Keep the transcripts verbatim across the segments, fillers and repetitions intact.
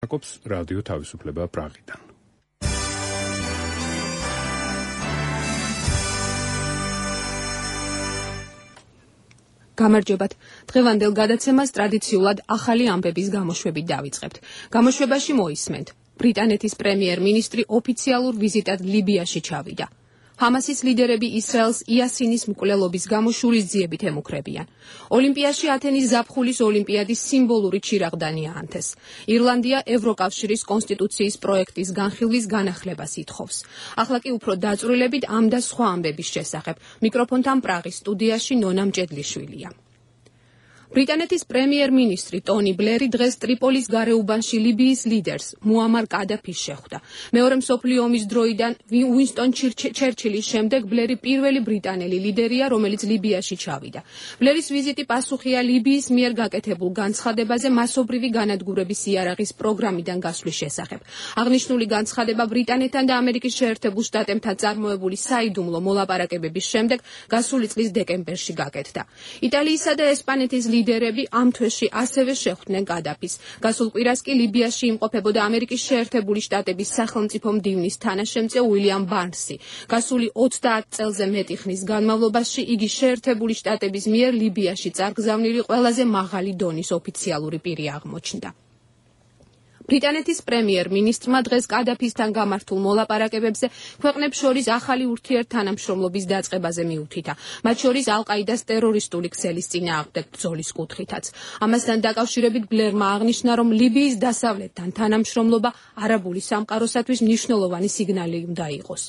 აკობს რადიო თავისუფლება პრაღიდან. გამარჯობათ. დღევანდელ გადაცემას ტრადიციულად ახალი ამბების გამოშვებით დავიწყებთ. გამოშვებაში მოისმენთ. ბრიტანეთის პრემიერ-მინისტრი ოფიციალურ ვიზიტად ლიბიაში ჩავიდა. ჰამასის ლიდერები ისრაელს იასინის მკვლელობის გამო შურისძიებით ემუქრებიან. ოლიმპიაში ათენის ზაფხულის ოლიმპიადის სიმბოლური ჩირაღდანი აანთეს. ირლანდია ევროკავშირის კონსტიტუციის პროექტის განხილვის განახლებას ითხოვს. ახლა კი უფრო დაწვრილებით ამ და სხვა ამბების შესახებ. მიკროფონთან პრაღის სტუდიაში ნონა მჭედლიშვილია. ბრიტანეთის პრემიერ-მინისტრი ტონი ბლერი დღეს ტრიპოლის გარეუბანში ლიბიის ლიდერს მუამარ კადაფის შეხვდა. მეორე მსოფლიო ომის დროიდან უინსტონ ჩერჩილის შემდეგ ბლერი პირველი ბრიტანელი ლიდერია, რომელიც ლიბიაში ჩავიდა. ბლერის ვიზიტი პასუხია ლიბიის მიერ გაკეთებულ განცხადებაზე მასობრივი განადგურების იარაღის პროგრამიდან გასვლის შესახებ. აღნიშნული განცხადება ბრიტანეთთან და ამერიკის შეერთებულ შტატებთან წარმოებული საიდუმლო მოლაპარაკებების შემდეგ გასული წლის დეკემბერში გაკეთდა. იტალიისა და ესპანეთის ლიდერები ამ თვეში ასევე შეხვდნენ კადაფის. გასულ კვირას კი ლიბიაში იმყოფებოდა ამერიკის შეერთებული შტატების სახელმწიფო მდივნის თანაშემწე უილიამ ბარნსი. გასული ოცდაათ წელზე მეტი ხნის განმავლობაში იგი შეერთებული შტატების მიერ ლიბიაში წარგზავნილი ყველაზე მაღალი დონის ოფიციალური პირი აღმოჩნდა. ბრიტანეთის პრემიერ-მინისტრმა დღეს კადაფისთან გამართულ მოლაპარაკებებზე ქვეყნებს შორის ახალი ურთიერთთანამშრომლობის დაწყებაზე მიუთითა, მათ შორის ალ-ყაიდას ტერორისტული ქსელის წინააღმდეგ ბრძოლის კუთხითაც. ამასთან დაკავშირებით ბლერმა აღნიშნა, რომ ლიბიის დასავლეთთან თანამშრომლობა არაბული სამყაროსათვის მნიშვნელოვანი სიგნალი უნდა იყოს.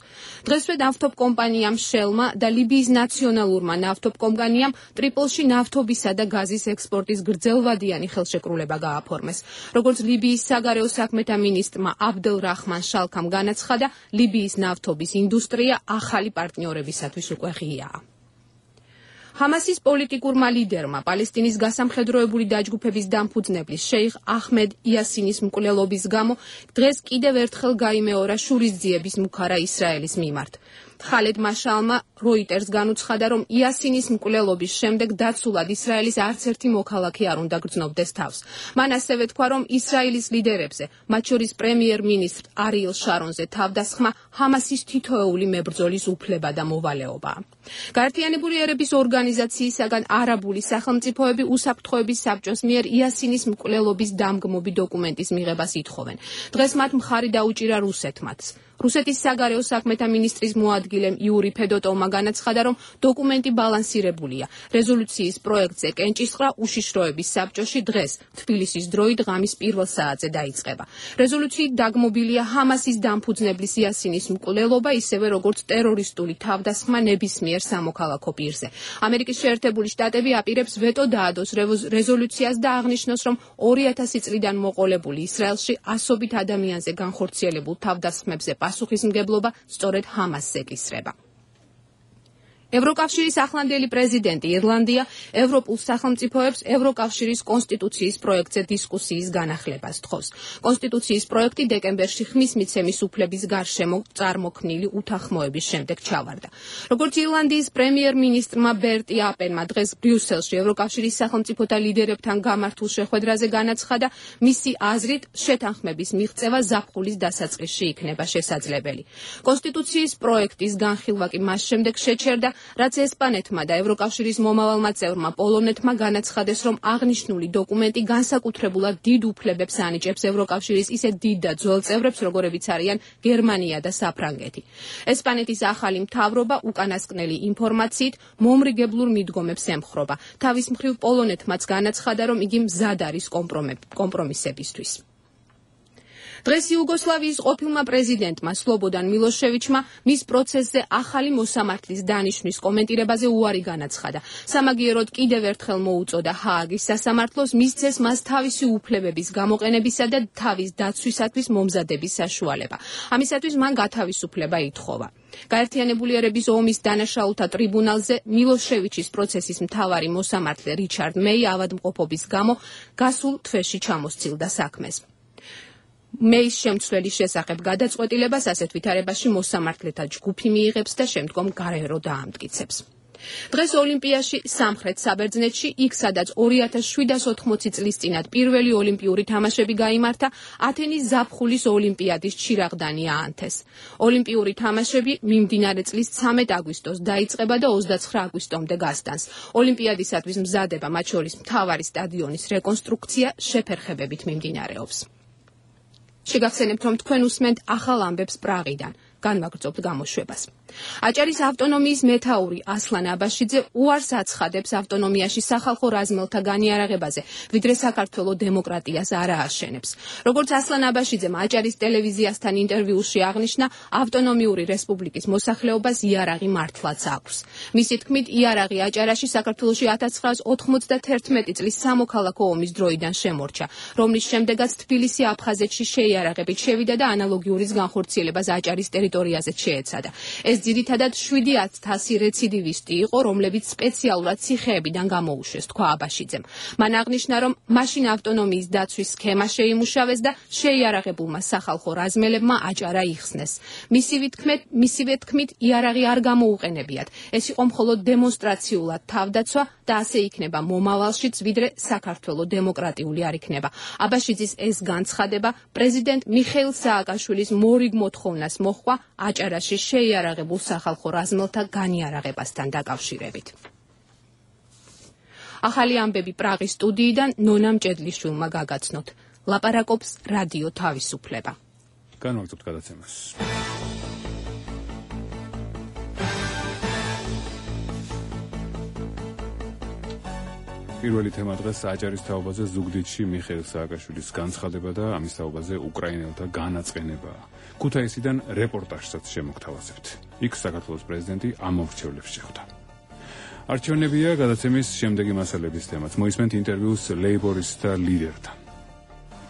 დღესვე ნავთობკომპანიამ შელმა და ლიბიის ნაციონალურმა ნავთობკომპანიამ ტრიპოლში ნავთობისა და გაზის ექსპორტის გრძელვადიანი ხელშეკრულება გააფორმეს. როგორც ლიბიის საგარეო საქმეთა მინისტრმა აბდელ რაჰმან შალქამ განაცხადა, ლიბიის ნავთობის ინდუსტრია ახალი პარტნიორებისათვის უკვე ღიაა. ჰამასის პოლიტიკურმა ლიდერმა პალესტინის გასამხედროებული დაჯგუფების დამფუძნებლის შეიხ აჰმედ იასინის მკვლელობის გამო დღეს კიდევ ერთხელ გაიმეორა შურისძიების მუქარა ისრაელის მიმართ. ხალედ მაშალმა როიტერს განუცხადა, რომ იასინის მკვლელობის შემდეგ დაცულად ისრაელის არც ერთი მოქალაქე არ უნდა გრძნობდეს თავს. მან ასევე თქვა, რომ ისრაელის ლიდერებზე, მათ შორის პრემიერ-მინისტრ არიელ შარონზე თავდასხმა ჰამასის თითოეული მებრძოლის უფლება და მოვალეობაა. გაერთიანებული ერების ორგანიზაციისაგან არაბული სახელმწიფოები უსაფრთხოების საბჭოს მიერ იასინის მკვლელობის დამგმობი დოკუმენტის მიღებას ითხოვენ. დღეს მათ მხარი დაუჭირა რუსეთმაც. რუსეთის საგარეო საქმეთა მინისტრის მოადგილემ იური ფედოტოვმა განაცხადა, რომ დოკუმენტი ბალანსირებულია. რეზოლუციის პროექტზე კენჭისყრა უშიშროების საბჭოში დღეს, თბილისის დროით ღამის პირველ საათზე დაიწყება. რეზოლუციით დაგმობილია ჰამასის დამფუძნებლის იასინის მკვლელობა, ისევე როგორც ტერორისტული თავდასხმა ნებისმიერ სამოქალაქო პირზე. ამერიკის შეერთებული შტატები აპირებს ვეტო დაადოს რეზოლუციას და აღნიშნოს, რომ ორი ათასი წლიდან მოყოლებული ისრაელში ასობით ადამიანზე განხორციელებულ თავდასხმებზე პასუხისმგებლობა სწორედ ჰამასს ეკისრება. ევროკავშირის ახლანდელი პრეზიდენტი ირლანდია ევროპულ სახელმწიფოებს ევროკავშირის კონსტიტუციის პროექტზე დისკუსიის განახლებას თხოვს. კონსტიტუციის პროექტი დეკემბერში ხმის მიცემის უფლების გარშემო წარმოქმნილი უთანხმოების შემდეგ ჩავარდა. როგორც ირლანდიის პრემიერ-მინისტრმა ბერტი აპენმა დღეს ბრიუსელში ევროკავშირის სახელმწიფოთა ლიდერებთან გამართულ შეხვედრაზე განაცხადა, მისი აზრით შეთანხმების მიღწევა ზაფხულის დასაწყისში იქნება შესაძლებელი. კონსტიტუციის პროექტის განხილვა კი მას შემდეგ შეჩერდა, რაც ესპანეთმა და ევროკავშირის მომავალმა წევრმა პოლონეთმა განაცხადეს, რომ აღნიშნული დოკუმენტი განსაკუთრებულად დიდ უფლებებს ანიჭებს ევროკავშირის ისეთ დიდ და ძველ წევრებს, როგორებიც არიან გერმანია და საფრანგეთი. ესპანეთის ახალი მთავრობა უკანასკნელი ინფორმაციით მომრიგებლურ მიდგომებს ემხრობა. თავის მხრივ პოლონეთმაც განაცხადა, რომ იგი მზად არის კომპრომისებისთვის. დღეს იუგოსლავიის ყოფილმა პრეზიდენტმა სლობოდან მილოშევიჩმა მის პროცესზე ახალი მოსამართლის დანიშვნის კომენტირებაზე უარი განაცხადა. სამაგიეროდ კიდევ ერთხელ მოუწოდა ჰააგის სასამართლოს მისცეს მას თავისი უფლებების გამოყენებისა და თავის დაცვისათვის მომზადების საშუალება. ამისათვის მან გათავისუფლება ითხოვა. გაერთიანებული ერების ომის დანაშაულთა ტრიბუნალზე მილოშევიჩის პროცესის მთავარი მოსამართლე რიჩარდ მეი ავადმყოფობის გამო გასულ თვეში ჩამოსცილდა საქმეს. მეის შემცვლელის შესახებ გადაწყვეტილებას ასეთ ვითარებაში მოსამართლეთა ჯგუფი მიიღებს და შემდგომ გარერო დაამტკიცებს. დღეს ოლიმპიაში სამხრეთ საბერძნეთში, იქ სადაც ორი ათას შვიდას ოთხმოცი წლის წინათ პირველი ოლიმპიური თამაშები გაიმართა, ათენის ზაფხულის ოლიმპიადის ჩირაღდანი აანთეს. ოლიმპიური თამაშები მიმდინარე წლის ცამეტ აგვისტოს დაიწყება და ოცდაცხრა აგვისტომდე გასტანს. ოლიმპიადისათვის მზადება, მათ შორის მთავარი სტადიონის რეკონსტრუქცია შეფერხებებით მიმდინარეობს. შეგახსენებთ, რომ თქვენ უსმენთ ახალ ამბებს პრაღიდან. განვაგრძობთ გამოშვებას. აჭარის ავტონომიის მეთაური ასლან აბაშიძე უარს აცხადებს ავტონომიაში სახალხო რაზმელთა განიარაღებაზე, ვიდრე საქართველოს დემოკრატიას არ ააშენებს. როგორც ასლან აბაშიძემ აჭარის ტელევიზიასთან ინტერვიუში აღნიშნა, ავტონომიური რესპუბლიკის მოსახლეობას იარაღი მართლაც აქვს. მისი თქმით, იარაღი აჭარაში საქართველოში ათას ცხრაას ოთხმოცდათერთმეტი წლის სამოქალაქო ომის დროიდან შემორჩა, რომლის შემდეგაც თბილისი აფხაზეთში შეიარაღებით შევიდა და ანალოგიურის განხორციელებას აჭარის ტერიტორიაზე შეეცადა. ეს ძირითადად შვიდი ათასი რეციდივისტი იყო, რომლებიც სპეციალურად ციხეებიდან გამოუშვეს, თქვა აბაშიძემ. მან აღნიშნა, რომ მაშინ ავტონომიის დაცვის სქემა შეიმუშავეს და შეიარაღებულმა სახალხო რაზმელებმა აჭარა იხსნეს. მისივე თქმით, მისივე თქმით, იარაღი არ გამოუყენებიათ. ეს იყო მხოლოდ დემონსტრაციულად თავდაცვა და ასე იქნება მომავალშიც, ვიდრე საქართველოს დემოკრატიული არ იქნება. აბაშიძის ეს განცხადება პრეზიდენტ მიხეილ სააკაშვილის მორიგ მოთხოვნას მოჰყვა აჭარაში შეიარაღებულ სახალხო რაზმელთა განიარაღებასთან დაკავშირებით. ახალი ამბები პრაღის სტუდიიდან ნონა მჭედლიშვილმა გაგაცნოთ. ლაპარაკობს რადიო თავისუფლება. განვაგრძობთ გადაცემას. პირველი თემა დღეს აჭარის თაობაზე ზუგდიდში მიხეილ სააკაშვილის განცხადება და ამის თაობაზე უკრაინელთა განაწყენება. ქუთაისიდან რეპორტაჟსაც შემოგთავაზებთ. იქ საქართველოს პრეზიდენტი ამორჩევლებს შეხვდა. არჩევნებია გადაცემის შემდეგი მასალების თემაც. მოისმენთ ინტერვიუს ლეიბორისტთა ლიდერთან.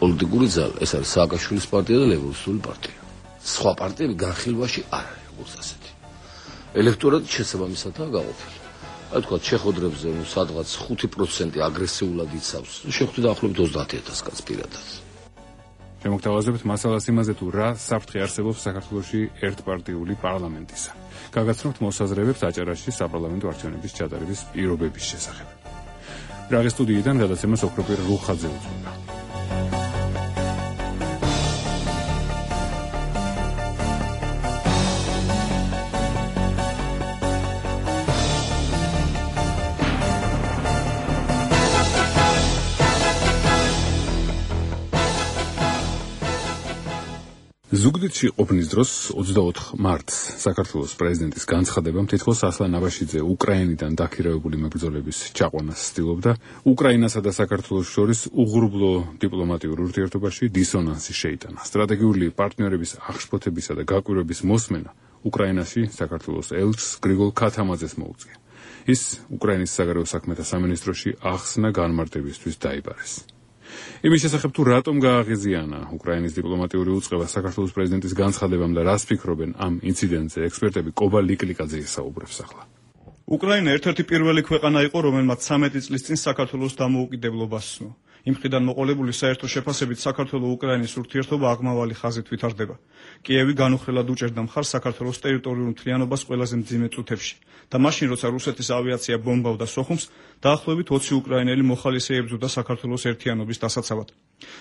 პოლიტიკური ძალა ეს არის სააკაშვილის პარტია და ლეიბორისტული პარტია. სხვა პარტიები განხილვაში არ არის როგორც ასეთი. ელექტორატი შესაბამისადაა გაყოფილი. აი თქვა ჩეხოდრებზე ნუ სადღაც ხუთი პროცენტი აგრესიულად იცავს. შეხვდი დაახლოებით ოცდაათი ათასი კაცს პირადად. შემოგთავაზებთ მასალას იმაზე, თუ რა საფრთხე არსებობს საქართველოში ერთპარტიული პარლამენტისა. გაგაცნობთ მოსაზრებებს აჭარაში საპარლამენტო არჩევნების ჩატარების პირობების შესახებ. პრაღის სტუდიიდან გადაცემას ოქროპირ რუხაძე უძღვება. ზუგდიდში ყოფნის დროს ოცდაოთხ მარტს საქართველოს პრეზიდენტის განცხადებამ თითქოს ასლან აბაშიძე უკრაინიდან დაქირავებული მებრძოლების ჩაყვანას ცდილობდა, უკრაინასა და საქართველოს შორის უღრუბლო დიპლომატიურ ურთიერთობაში დისონანსი შეიტანა. სტრატეგიული პარტნიორების აღშფოთებისა და გაკვირვების მოსმენა უკრაინაში საქართველოს ელჩს გრიგოლ ქათამაძეს მოუწია. ის უკრაინის საგარეო საქმეთა სამინისტროში ახსნა განმარტებისთვის დაიბარეს. იმის შესახებ თუ რატომ გააღიზიანა უკრაინის დიპლომატიური უწყება საქართველოს პრეზიდენტის განცხადებამ და რას ფიქრობენ ამ ინციდენტზე, ექსპერტები კობა ლიკლიკაძე ისაუბრებს ახლა. უკრაინა ერთ-ერთი პირველი ქვეყანა იყო, რომელმაც ცამეტი წლის წინ საქართველოს დამოუკიდებლობა სცნო. იმ მხრიდან მოყოლებული საერთო შეფასებით საქართველო-უკრაინის ურთიერთობა აღმავალი ხაზით ვითარდება. კიევი განუხრელად უჭერდა მხარს საქართველოს ტერიტორიულ მთლიანობას ყველაზე მძიმე წუთებში და მაშინ, როცა რუსეთის ავიაცია ბომბავდა სოხუმს, დაახლოებით ოცი უკრაინელი მოხალისე ებრძოდა საქართველოს ერთიანობის დასაცავად.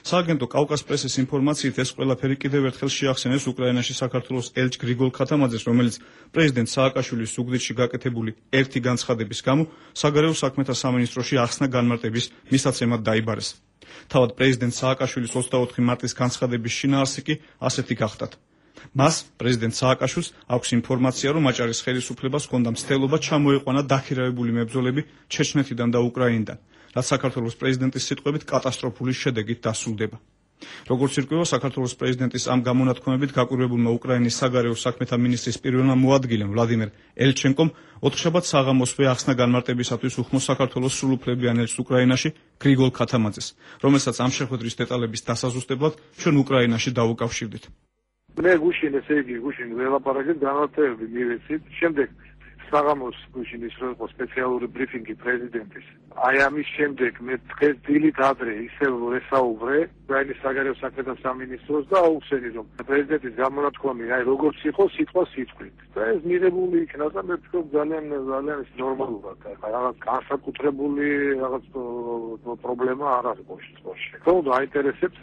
სააგენტო კავკას პრესის ინფორმაციით ეს ყველაფერი კიდევ ერთხელ შეახსენეს უკრაინაში საქართველოს ელჩ გრიგოლ ქათამაძეს, რომელიც პრეზიდენტ სააკაშვილის ზუგდიდში გაკეთებული ერთი განცხადების გამო საგარეო საქმეთა სამინისტროში ახსნა განმარტების მისაცემად დაიბარეს. თავად პრეზიდენტ სააკაშვილის ოცდაოთხი მარტის განცხადების შინაარსი კი ასეთი გახდათ. მას პრეზიდენტ სააკაშვილს აქვს ინფორმაცია, რომ აჭარის ხელისუფლებას ჰქონდა მცდელობა ჩამოეყვანა დაქირავებული მებრძოლები ჩეჩნეთიდან და უკრაინიდან, რაც საქართველოს პრეზიდენტის სიტყვებით კატასტროფული შედეგით დასრულდება. როგორც ირკვევა, საქართველოს პრეზიდენტის ამ გამონათქვამებით გაკვირვებულმა უკრაინის საგარეო საქმეთა მინისტრის პირველმა მოადგილემ ვლადიმერ ელჩენკომ ოთხშაბათ საღამოსვე ახსნა განმარტებისათვის უხმო საქართველოს სრულუფლებიან ელჩს უკრაინაში გრიგოლ ქათამაძეს, რომელსაც ამ შეხვედრის დეტალების დასაზუსტებლად ჩვენ უკრაინაში დავუკავშირდით. მე გუშინ ესე იგი გუშინ ველაპარაკეთ განათლები მივეცით, შემდეგ საღამოს გუშინის რო იყო სპეციალური ბრიფინგი პრეზიდენტის. აი ამის შემდეგ მე დღეს დილით ადრე ისევ ვესაუბრე უკრაინის საგარეო საქმეთა სამინისტროს და აუხსენი რომ პრეზიდენტის გამონათქვამი აი როგორც იყო სიტყვა სიტყვით. და ეს მიღებული იქნა და მე ვფიქრობ ძალიან ძალიან ნორმალურად. რაღაც განსაკუთრებული რაღაც პრობლემა არ არის ყოველში. თუმცა აინტერესებს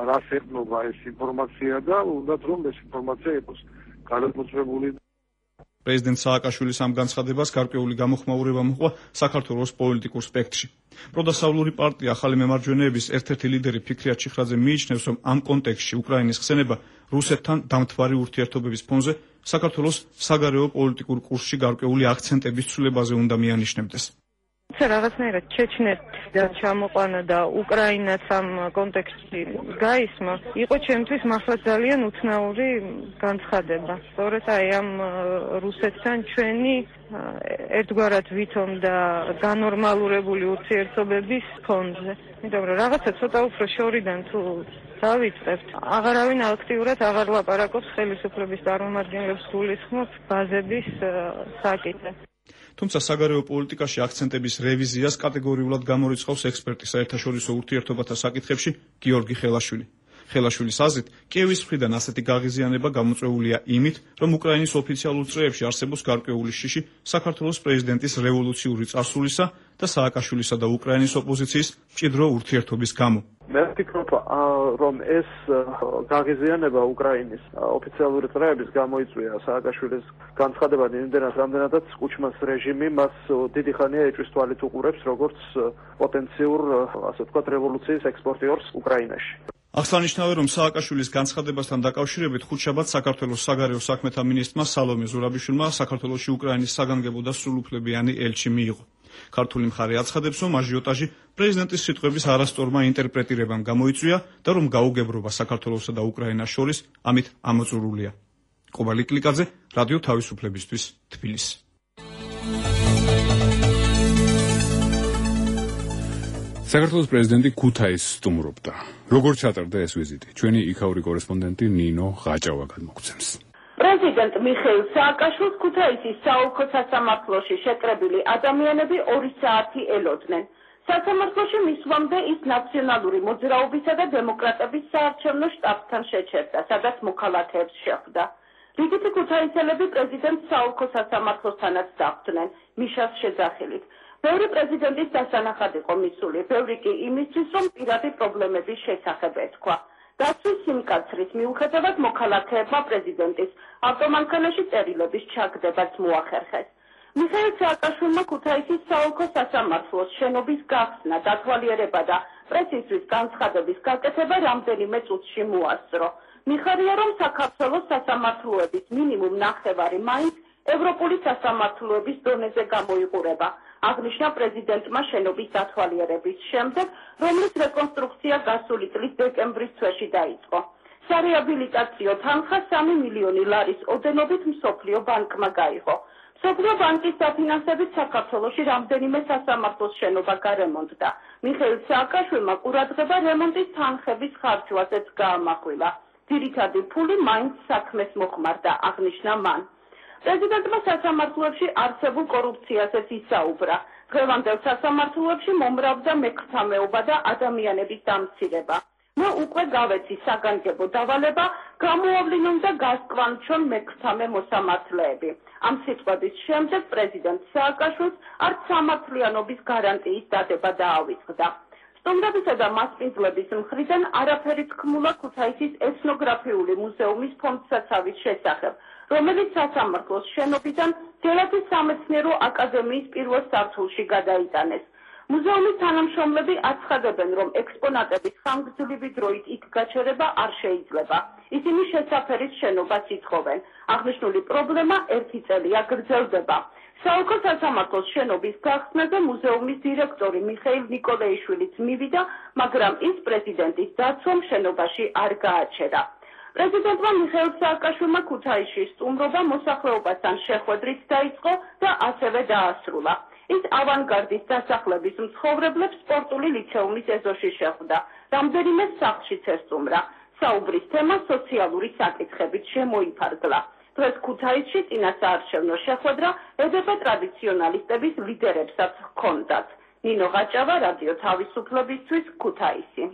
რა შეეხება ეს ინფორმაცია და უნდათ რომ ეს ინფორმაცია იყოს გადამოწმებული. პრეზიდენტ სააკაშვილის ამ განცხადებას გარკვეული გამოხმაურება მოჰყვა საქართველოს პოლიტიკურ სპექტრში. პროდასავლური პარტია ახალი მემარჯვენეების ერთ-ერთი ლიდერი ფიქრიათ ჩიხრაძე მიიჩნევს, რომ ამ კონტექსტში უკრაინის ხსენება რუსეთთან დამთვარი ურთიერთობების ფონზე საქართველოს საგარეო პოლიტიკურ კურსში გარკვეული აქცენტების ცვლილებაზე უნდა მიანიშნებდეს. რაღაცნაირად ჩეჩნეთიდან ჩამოყვანა და უკრაინაც ამ კონტექსტში გაისმა, იყო ჩემთვის მართლა ძალიან უცნაური განცხადება. სწორედ აი ამ რუსეთთან ჩვენი ერთგვარად ვითომ და განორმალურებული ურთიერთობების ფონზე. იმიტომ რომ რაღაცა ცოტა უფრო შორიდან თუ დავიწყებთ, აღარავინ აქტიურად აღარ ლაპარაკობს ხელისუფლების წარმომადგენლებს გულისხმობს ბაზების საკითხებს. თუმცა საგარეო პოლიტიკაში აქცენტების რევიზიას კატეგორიულად გამორიცხავს ექსპერტი საერთაშორისო ურთიერთობათა საკითხებში გიორგი ხელაშვილი. ხელაშვილის აზრით, კიევის მხრიდან ასეთი გაღიზიანება გამოწვეულია იმით, რომ უკრაინის ოფიციალურ წრეებში არსებობს გარკვეული შიში საქართველოს პრეზიდენტის რევოლუციური წარსულისა და სააკაშვილისა და უკრაინის ოპოზიციის მჭიდრო ურთიერთობის გამო. მე ვფიქრობ, რომ ეს გაღიზიანება უკრაინის ოფიციალური წრეების გამოიწვია სააკაშვილის განცხადება იმდენად, რამდენადაც კუჩმას რეჟიმი მას დიდი ხანია ეჭვის თვალით უყურებს როგორც პოტენციურ, ასე ვთქვათ, რევოლუციის ექსპორტიორს უკრაინაში. აღსანიშნავია, რომ სააკაშვილის განცხადებასთან დაკავშირებით ხუთშაბათს საქართველოს საგარეო საქმეთა მინისტრმა სალომე ზურაბიშვილმა საქართველოში უკრაინის საგანგებო და სრულუფლებიანი ელჩი მიიღო. ქართული მხარე აცხადებს, რომ აჟიოტაჟი პრეზიდენტის სიტყვების არასწორმა ინტერპრეტირებამ გამოიწვია და რომ გაუგებრობა საქართველოსა და უკრაინას შორის ამით ამოწურულია. ყობალი კლიკაძე, რადიო თავისუფლებისთვის, თბილისი. საქართველოს პრეზიდენტი ქუთაისს სტუმრობდა. როგორ ჩატარდა ეს ვიზიტი? ჩვენი იქაური კორესპონდენტი ნინო ღაჭავა გადმოგცემს. პრეზიდენტ მიხეილ სააკაშვილს ქუთაისის საოლქო სასამართლოში შეკრებილი ადამიანები ორი საათი ელოდნენ. სასამართლოში მისვლამდე ის ნაციონალური მოძრაობისა და დემოკრატების საარჩევნო შტაბთან შეჩერდა, სადაც მოქალაქეებს შეხვდა. რიგითი ქუთაისელები პრეზიდენტ საოლქო სასამართლოსთანაც დახვდნენ, მიშას შეძახილით. ბევრი პრეზიდენტის დასანახად იყო მისული, ბევრი კი იმისთვის, რომ პირადი პრობლემების შესახებ ეთქვა. დაცვის სიმკაცრის მიუხედავად მოქალაქეებმა პრეზიდენტის ავტომანქანაში წერილების ჩაგდებაც მოახერხეს. მიხეილ სააკაშვილმა ქუთაისის საოლქო სასამართლოს შენობის გახსნა, დათვალიერება და პრესისთვის განცხადების გაკეთება რამდენიმე წუთში მოასწრო. მიხარია, რომ საქართველოს სასამართლოების მინიმუმ ნახევარი მაინც ევროპული სასამართლოების დონეზე გამოიყურება. აღნიშნა პრეზიდენტმა შენობის დათვალიერების შემდეგ, რომლის რეკონსტრუქცია გასული წლის დეკემბრის თვეში დაიწყო. სარეაბილიტაციო თანხა სამი მილიონი ლარის ოდენობით მსოფლიო ბანკმა გაიღო. მსოფლიო ბანკის დაფინანსებით საქართველოში რამდენიმე სასამართლოს შენობა გარემონტდა. მიხეილ სააკაშვილმა ყურადღება რემონტის თანხების ხარჯვაზეც გაამახვილა. ძირითადი ფული მაინც საქმეს მოხმარდა, აღნიშნა მან. პრეზიდენტმა სასამართლოებში არსებულ კორუფციაზეც ისაუბრა. დღევანდელ სასამართლოებში მომრავლდა მექრთამეობა და ადამიანების დამცირება. მე უკვე გავეცი საგანგებო დავალება, გამოავლინონ და გასკვანჩონ მექრთამე მოსამართლეები. ამ სიტყვების შემდეგ პრეზიდენტ სააკაშვილს არც სამართლიანობის გარანტიის დადება დაავიწყდა. სტუმრებისა და მასპინძლების მხრიდან არაფერი თქმულა ქუთაისის ეთნოგრაფიული მუზეუმის ფონდსაცავის შესახებ, რომელიც სასამართლოს შენობიდან გელათის სამეცნიერო აკადემიის პირველ სართულში გადაიტანეს. მუზეუმის თანამშრომლები აცხადებენ, რომ ექსპონატების ხანგრძლივი დროით იქ გაჩერება არ შეიძლება. ისინი შესაფერის შენობას ითხოვენ. აღნიშნული პრობლემა ერთი წელია გრძელდება. საოლქო სასამართლოს შენობის გახსნაზე მუზეუმის დირექტორი მიხეილ ნიკოლეიშვილიც მივიდა, მაგრამ ის პრეზიდენტის დაცვამ შენობაში არ გააჩერა. პრეზიდენტმა მიხეილ სააკაშვილმა ქუთაისში სტუმრობა მოსახლეობასთან შეხვედრით დაიწყო და ასევე დაასრულა. ის ავანგარდის დასახლების მცხოვრებლებს სპორტული ლიცეუმის ეზოში შეხვდა. რამდენიმე სახლშიც ესტუმრა. საუბრის თემა სოციალური საკითხებით შემოიფარგლა. დღეს ქუთაისში წინასაარჩევნო შეხვედრა ედებ ტრადიციონალისტების ლიდერებსაც ჰქონდათ. ნინო ღაჭავა, რადიო თავისუფლებისთვის, ქუთაისი.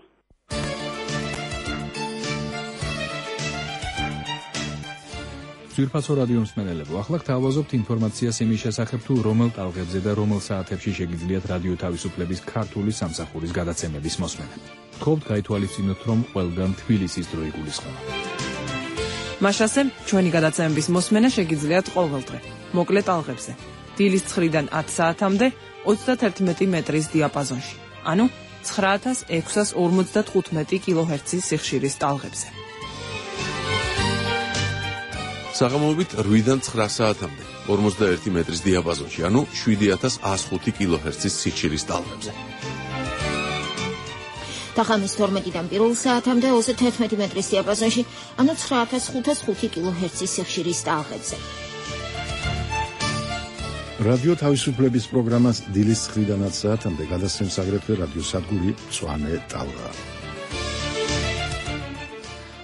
ძვირფასო რადიო მსმენელებო, ახლა გთავაზობთ ინფორმაციას იმის შესახებ, თუ რომელ ტალღებზე და რომელ საათებში შეგიძლიათ რადიო თავისუფლების ქართული სამსახურის გადაცემების მოსმენა. გთხოვთ გაითვალისწინოთ, რომ ყველგან თბილისის დრო იგულისხმება. მაშასე, ჩვენი გადაცემების მოსმენა შეგიძლიათ ყოველდღე, მოკლე ტალღებზე. დილის ცხრიდან ათ საათამდე ოცდათერთმეტი მეტრის დიაპაზონში, ანუ ცხრა ათას ექვსას ორმოცდათხუთმეტი კილოჰერცის სიხშირის ტალღებზე. საღამოობით რვიდან ცხრა საათამდე ორმოცდაერთი მეტრის დიაპაზონში, ანუ შვიდი ათას ას ხუთი კილოჰერცის სიხშირის ტალღებზე. თახამის თორმეტიდან პირველ საათამდე ოცდათერთმეტი მეტრის დიაპაზონში, ანუ ცხრა ათას ხუთას ხუთი კილოჰერცის სიხშირის ტალღებზე. რადიო თავისუფლების პროგრამას დილის ცხრიდან ათ საათამდე გადასცემს აგრეთვე რადიო სადგური მწვანე ტალღა.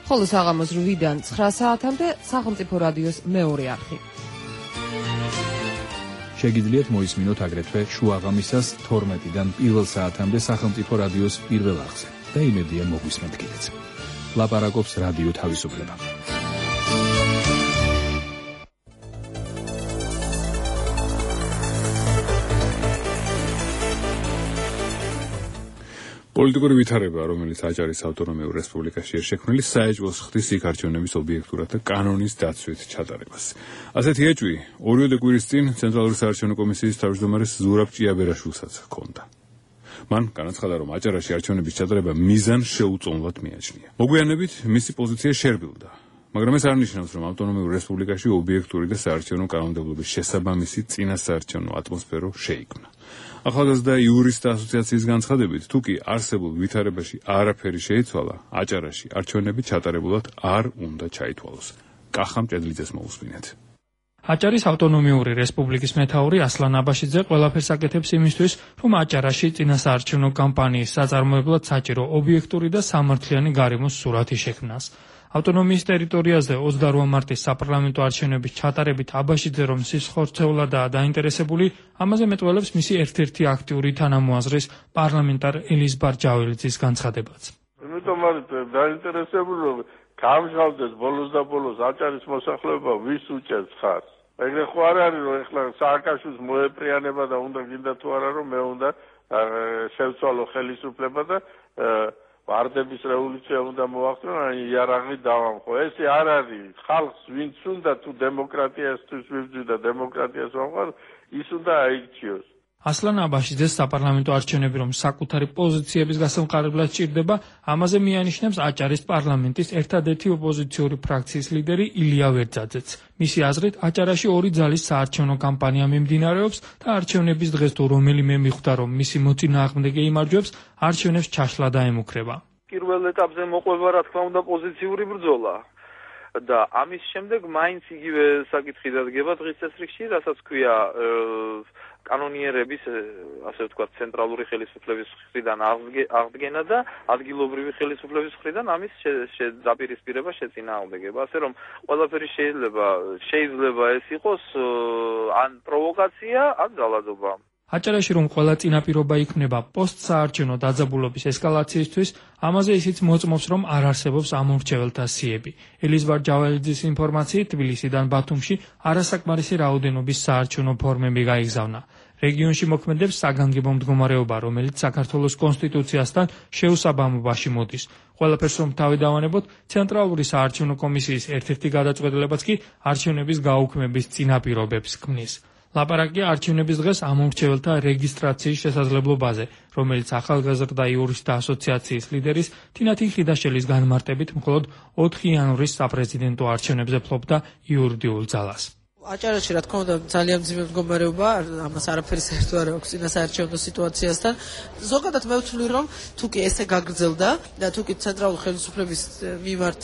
ხოლო საღამოს რვიდან ცხრა საათამდე სახელმწიფო რადიოს მეორე არხი. შეგიძლიათ მოისმინოთ აგრეთვე შუაღამისას თორმეტიდან პირველ საათამდე სახელმწიფო რადიოს პირველ არხზე და იმედია მოგვისმენთ კიდეც. ლაპარაკობს რადიო თავისუფლება. პოლიტიკური ვითარება, რომელიც აჭარის ავტონომიურ რესპუბლიკაშია შექმნილი, საეჭვოს ხდის იქ არჩევნების ობიექტურად და კანონის დაცვით ჩატარებას. ასეთი ეჭვი ორივე კვირის წინ ცენტრალური საარჩევნო კომისიის თავმჯდომარეს ზურაბ ჭიაბერაშვილსაც ჰქონდა. მან განაცხადა, რომ აჭარაში არჩევნების ჩატარება მიზანს შეუწონლად მიაჩნია. მოგვიანებით მისი პოზიცია შერბილდა, მაგრამ ეს არ ნიშნავს, რომ ავტონომიურ რესპუბლიკაში ობიექტური და საარჩევნო კანონმდებლობის შესაბამისი წინასაარჩევნო ატმოსფერო შეიქმნა. ახალგაზრდა იურისტთა ასოციაციის განცხადებით, თუ კი არსებულ ვითარებაში არაფერი შეიცვალა, აჭარაში არჩევნები ჩატარებულად არ უნდა ჩაითვალოს. კახა მჭედლიძეს მოусმინეთ. აჭარის ავტონომიური რესპუბლიკის მეთაური ასლან აბაშიძე ყველაფერს აკეთებს იმისთვის, რომ აჭარაში წინასაარჩევნო კამპანიის საწარმოებლად საჭირო ობიექტური და სამართლიანი გარემოს სურათი შექმნას. ავტონომიის ტერიტორიაზე ოცდარვა მარტის საპარლამენტო არჩევნების ჩატარებით აბაშიძე რომ სისხლხორცეულადაა დაინტერესებული, ამაზე მეტყველებს მისი ერთ-ერთი აქტიური თანამოაზრის პარლამენტარ ელიზბარ ჯაველიძის განცხადებაც. იმიტომ არის დაინტერესებული, რომ გამჟღავდეს ბოლოს და ბოლოს აჭარის მოსახლეობა ვის უჭერს ხარს. ეგრე ხო არ არის, რომ ეხლა სააკაშვილს მოეპრიანება და უნდა გინდა თუ არა, რომ მე უნდა შევცვალო ხელისუფლება და ვარდების რევოლუცია უნდა მოახდინო, ან იარაღი დავამხო. ეს არ არის ხალხს, ვინც უნდა თუ დემოკრატიასთვის ვიბრძვი და დემოკრატიას ვამყარ, ის უნდა აირჩიოს. ასლან აბაშიძეს საპარლამენტო არჩევნები რომ საკუთარი პოზიციების გასამყარებლად ჭირდება, ამაზე მიანიშნებს აჭარის პარლამენტის ერთადერთი ოპოზიციური ფრაქციის ლიდერი ილია ვერძაძეც. მისი აზრით, აჭარაში ორი ძალის საარჩევნო კამპანია მიმდინარეობს და არჩევნების დღეს თუ რომელიმე მიხვდა, რომ მისი მოწინააღმდეგე იმარჯვებს, არჩევნებს ჩაშლა დაემუქრება. პირველ ეტაპზე მოყვება რა თქმა უნდა პოზიციური ბრძოლა. და ამის შემდეგ მაინც იგივე საკითხი დადგება დღის წესრიგში, რასაც ქვია კანონიერების, ასე ვთქვათ, ცენტრალური ხელისუფლების მხრიდან აღდგენა და ადგილობრივი ხელისუფლების მხრიდან ამის დაპირისპირება შეწინააღმდეგება. ასე რომ ყველაფერი შეიძლება შეიძლება ეს იყოს ან პროვოკაცია, ან ძალადობა. აჭარაში რომ ყველა წინაპირობა იქნება პოსტსაარჩევნო დაძაბულობის ესკალაციისთვის, ამაზე ისიც მოწმობს, რომ არ არსებობს ამორჩეველთა სიები. ელიზბარ ჯაველიძის ინფორმაციით, თბილისიდან ბათუმში არასაკმარისი რაოდენობის საარჩევნო ფორმები გაიგზავნა. რეგიონში მოქმედებს საგანგებო მდგომარეობა, რომელიც საქართველოს კონსტიტუციასთან შეუსაბამობაში მოდის. ყველაფერს რომ თავი დავანებოთ, ცენტრალური საარჩევნო კომისიის ერთ-ერთი გადაწყვეტილებაც კი არჩევნების გაუქმების წინაპირობებს ქმნის. ლაპარაკია არჩევნების დღეს ამორჩეველთა რეგისტრაციის შესაძლებლობაზე, რომელიც ახალგაზრდა იურისტთა ასოციაციის ლიდერის თინათი ხიდაშელის განმარტებით მხოლოდ ოთხი იანვრის საპრეზიდენტო არჩევნებზე ფლობდა იურიდიულ ძალას. აჭარაში რა თქმა უნდა ძალიან მძიმე მდგომარეობა, ამას არაფერი საერთო არ აქვს წინასაარჩევნო სიტუაციასთან. ზოგადად მე ვთვლი, რომ თუ კი ესე გაგრძელდა და თუ კი ცენტრალური ხელისუფლების მიმართ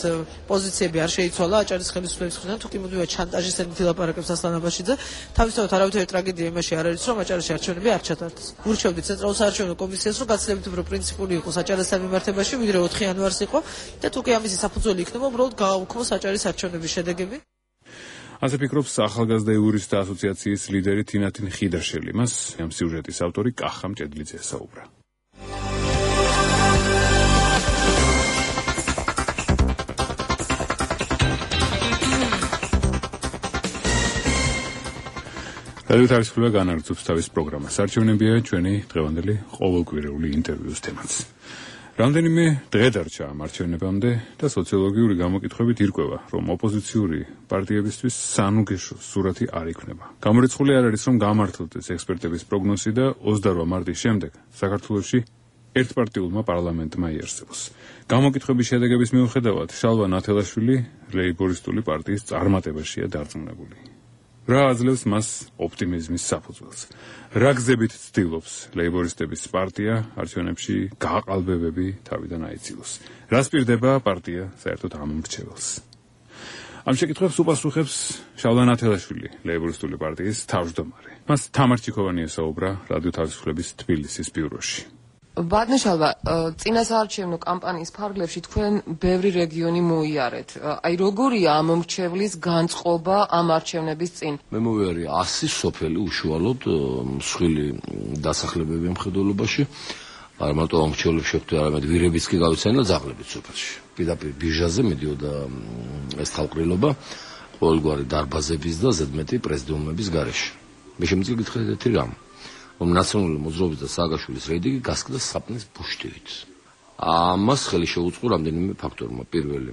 პოზიციები არ შეიცვალა აჭარის ხელისუფლების მხრიდან, თუ კი მუდმივად შანტაჟის ენით ლაპარაკებს ასლან აბაშიძე, თავისთავად არავითარი ტრაგედია იმაში არ არის, რომ აჭარაში არჩევნები არ ჩატარდეს. ვურჩევდი ცენტრალურ საარჩევნო კომისიას, რომ გაცილებით უფრო პრინციპული იყოს აჭარასთან მიმართებაში, ვიდრე ოთხი იანვარს იყო და თუ კი ამისი საფუძველი იქნება, უბრალოდ გააუქმოს აჭარის არჩევნების შედეგები. ასე ფიქრობს ახალგაზრდა იურისტთა ასოციაციის ლიდერი თინათინ ხიდაშელი. მას ამ სიუჟეტის ავტორი კახა მჭედლიძე საუბრა. რადიო თავისუფლება განაგრძობს თავის პროგრამას. არჩევნებია ჩვენი დღევანდელი ყოველკვირეული ინტერვიუს თემაც. რამდენიმე დღე დარჩა ამ არჩევნებამდე და სოციოლოგიური გამოკითხვებით ირკვევა, რომ ოპოზიციური პარტიებისთვის სანუგეშო სურათი არ იქნება. გამორიცხული არ არის, რომ გამართლდეს ექსპერტების პროგნოზი და ოცდაორი მარტის შემდეგ საქართველოში ერთპარტიულმა პარლამენტმა იარსებოს. გამოკითხვების შედეგების მიუხედავად, შალვა ნათელაშვილი ლეიბორისტული პარტიის წარმატებაშია დარწმუნებული. რა აძლევს მას ოპტიმიზმის საფუძველს? რა გზებით ცდილობს ლეიბორისტების პარტია არჩევნებში გააყალბებები თავიდან აიცილოს? რას პირდება პარტია საერთოდ ამ მრჩეველს? ამ შეკითხვებს უპასუხებს შალვა ნათელაშვილი, ლეიბორისტული პარტიის თავმჯდომარე. მას თამარ ჩიქოვანი ესაუბრა რადიო თავისუფლების თბილისის ბიუროში. ბატონიშალვა, წინასაარჩევნო კამპანიის ფარგლებში თქვენ ბევრი რეგიონი მოიარეთ. აი როგორია ამ მრჩევლის განწყობა ამ არჩევნების წინ? მე მოვიარე ასი სოფელი უშუალოდ მსხვილი დასახლებები მხედველობაში. არა მარტო ამ მრჩევლებს შეხვდე, არამედ ვირებიც კი გავიცანი და ძაღლებიც სოფელში. პირდაპირ ბიჟაზე მიდიოდა ეს თავყრილობა ყოველგვარი დარბაზების და ზედმეტი პრეზიდიუმების გარეშე. მე შემიძლია გითხრათ ერთი რამ. რომ ნაციონალური მოძრაობის და სააგაშვილის რეიტინგი გასკდა საპნის ბუშტივით. ამას ხელი შეუწყო რამდენიმე ფაქტორმა. პირველი,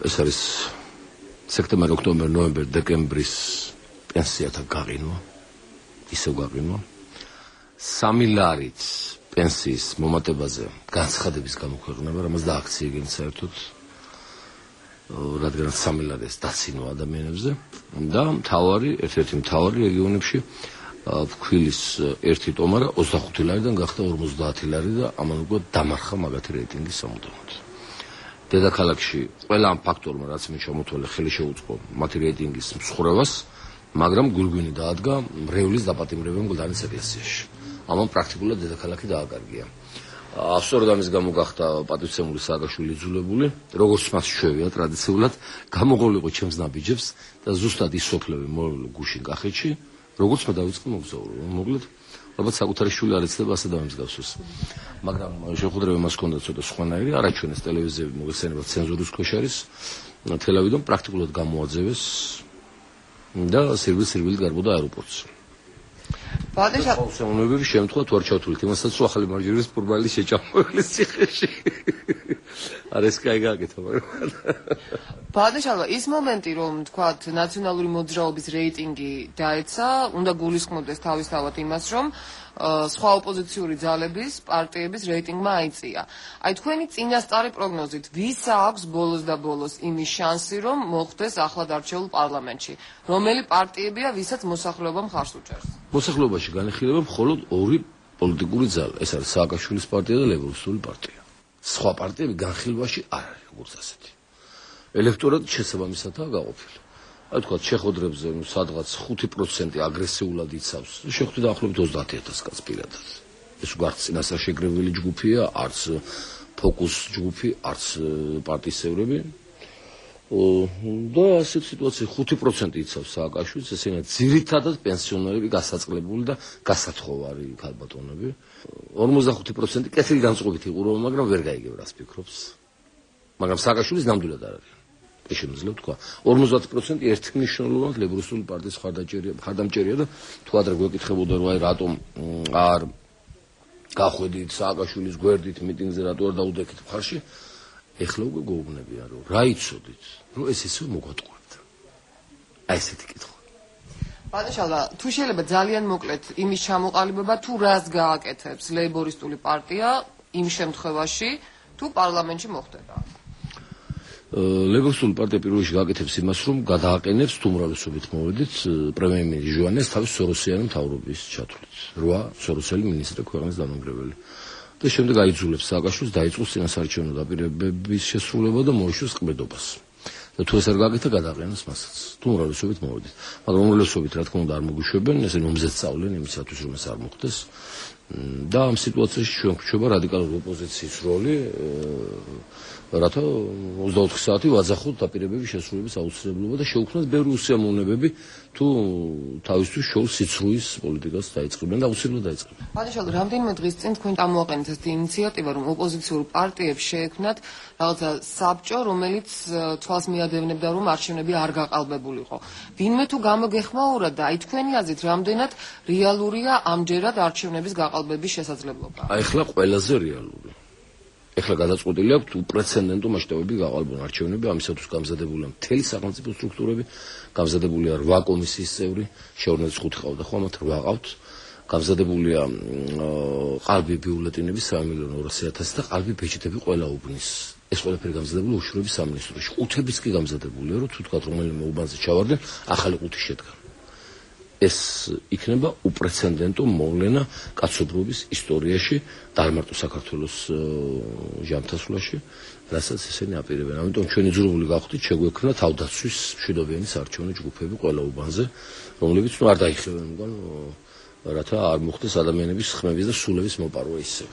ეს არის სექტემბერ, ოქტომბერ, ნოემბერ, დეკემბრის პენსიათა გაყინვა, ისევ გაყინვა. სამი ლარით პენსიის მომატებაზე განცხადების გამოქვეყნება, რამაც დააქციეგნენ საერთოდ, რადგან სამი ლარი დაცინვა ადამიანებზე და მთავარი, ერთ-ერთი მთავარი რეგიონებში ფქვილის ერთი ტომარა ოცდახუთი ლარიდან გახდა ორმოცდაათი ლარი და ამან უკვე დამარხა მაგათი რეიტინგი სამუდამოდ. დედაქალაქში ყველა ამ ფაქტორმა, რაც მე შემოთვალე, ხელი შეუწყო მათი რეიტინგის მსხრევას, მაგრამ გულგვინი დაადგა მრევლის დაპატიმრებამ გლდანის ეკლესიაში. ამან პრაქტიკულად დედაქალაქი დააკარგია. სწორედ ამის გამო გახდა პატივცემული სააგაშვილი იძულებული, როგორც მას შევია ტრადიციულად, გამოყოლიყო ჩემს ნაბიჯებს და ზუსტად ის სოფლები მოვიდა გუშინ კახეთში, როგორც მე დავიწყე მოგზაურობა. მოკლედ, ალბათ საკუთარი შვილი არ იცლება ასე დამსგავსოს. მაგრამ შეხვედრება მას ჰქონდა ცოტა სხვანაირი, არაჩვენეს ტელევიზიები მოგეხსენება ცენზურის ქვეშ არის. თელავიდონ პრაქტიკულად გამოაძევეს და სერვი-სერვილი გარბოდა აეროპორტს. ბატონიშალვა შემთხვევა თუ არ ჩავთვლით იმასაც, რომ ახალი მარჯვენის ფურბალის შეჭამოებლის ციხეში. არ ეს კაი გააკეთა, მაგრამ ბატონიშალვა, ის მომენტი, რომ თქვათ ნაციონალური მოძრაობის რეიტინგი დაეცა, უნდა გულისხმობდეს თავისთავად იმას, რომ სხვა ოპოზიციური ძალების პარტიების რეიტინგმა აიწია. აი თქვენი წინასწარი პროგნოზით, ვისა აქვს ბოლოს და ბოლოს იმის შანსი, რომ მოხვდეს ახლად არჩეულ პარლამენტში? რომელი პარტიებია, ვისაც მოსახლეობა მხარს უჭერს? მოსახლეობაში განიხილება მხოლოდ ორი პოლიტიკური ძალა. ეს არის სააკაშვილის პარტია და ლეიბორისტული პარტია. სხვა პარტიები განხილვაში არ არის როგორც ასეთი. ელექტორატი შესაბამისადაა გაყოფილი. აი თქვა შეხვედრებზე სადღაც ხუთი პროცენტი აგრესიულად იცავს. შეხვდით დაახლოებით ოცდაათი ათასი კაცს პირადად. ეს უარც წინასწარ შეგრევილი ჯგუფია, არც ფოკუს ჯგუფი, არც პარტიის წევრები. და ასეთ სიტუაციაში ხუთი პროცენტი იცავს სააკაშვილს, ესენა ძირითადად პენსიონერები, გასაწყლებული და გასათხოვარი ქალბატონები. ორმოცდახუთი პროცენტი კეთილი განწყობით იყურება, მაგრამ ვერ გაიგებს, ფიქრობს. მაგრამ სააკაშვილის ნამდვილად არ არის. ეს შემიძლია თქვა. ორმოცდაათი პროცენტი ერთმნიშვნელოვნად ლეიბორისტული პარტიის ხარდამჭერია, ხარდამჭერია და თუ ადრე გვეკითხებოდა, რომ აი რატომ არ გახვედით სააკაშვილის გვერდით მიტინგზე, რატო არ დაუდექით მხარში? ეხლა უკვე გეუბნებია, რომ რა იცოდით, რომ ეს ისე მოგვატყუებთ. აი ესეთი კითხვა. ბატონიშალვა, თუ შეიძლება ძალიან მოკლედ იმის ჩამოყალიბება, თუ რას გააკეთებს ლეიბორისტული პარტია იმ შემთხვევაში, თუ პარლამენტში მოხდება? ლეიბორისტული პარტია პირველ რიგში გააკეთებს იმას, რომ გადააყენებს თუ უმრავლესობით მოვედით პრემიერ-მინისტრის ჟუანეს თავის სოროსიანი მთავრობის ჩათვლით. რვა სოროსელი მინისტრი ქვეყნის დამანგრეველი. და შემდეგ აიძულებს სააკაშვილს დაიწყოს წინასაარჩევნო დაპირებების შესრულება და მოეშვეს ყბედობას. და თუ ეს არ გააკეთა, გადააყენოს მასაც. თუ უმრავლესობით მოვედით. მაგრამ უმრავლესობით რა თქმა უნდა არ მოგუშვებენ, ესე νομზეც სწავლენ იმისათვის, რომ ეს არ მოხდეს. და ამ სიტუაციაში ჩვენ გვჩვევა რადიკალური ოპოზიციის როლი, რათა ოცდაოთხი საათი ვაძახოთ დაპირებების შესრულების აუცილებლობა და შეუქმნათ ბევრი უსიამოვნებები თუ თავისთვის შოუს სიცრუის პოლიტიკას დაიწყებენ და აუცილებლად დაიწყებენ. ბატონო, რამდენიმე დღის წინ თქვენ წამოაყენეთ ეს ინიციატივა, რომ ოპოზიციურ პარტიებს შეექმნათ რაღაცა საბჭო, რომელიც თვალს მიადევნებდა, რომ არჩევნები არ გაყალბებულიყო. ვინმე თუ გამოგეხმაურა და აი თქვენი აზრით, რამდენად რეალურია ამჯერად არჩევნების გაყალბების შესაძლებლობა? აი ახლა ყველაზე რეალური. ეხლა გადაწყვეტილი აქვს უპრეცედენტო მასშტაბები გაყალბონ არჩევნები, ამისათვის გამზადებულია მთელი სახელმწიფო სტრუქტურები, გამზადებულია რვა კომისიის წევრი, შეურნეცდ ხუთი ყავდა ხო, ამათ რვა ყავთ. გამზადებულია ყალბი ბიულეტენები სამი მილიონი ორასი ათასი და ყალბი ბეჭდები ყველა უბნის. ეს ყველაფერი გამზადებულია უშუალოდ სამინისტროში. ყუთებიც კი გამზადებულია, რომ თუ თქვა რომელიმე უბანზე ჩავარდნენ, ახალი ყუთი შედგა. ეს იქნება უპრეცედენტო მოვლენა კაცობრიობის ისტორიაში და არ მარტო საქართველოს ჟამთასვლაში, რასაც ესენი აპირებენ. ამიტომ ჩვენი ძროული გავხდით, შეგვექმნა თავდაცვის მშვიდობიანი საარჩევნო ჯგუფები ყველა უბანზე, რომლებიც ნუ არ დაიხევენ უკან, რათა არ მოხდეს ადამიანების ხმების და სულების მოპარვა ისევ.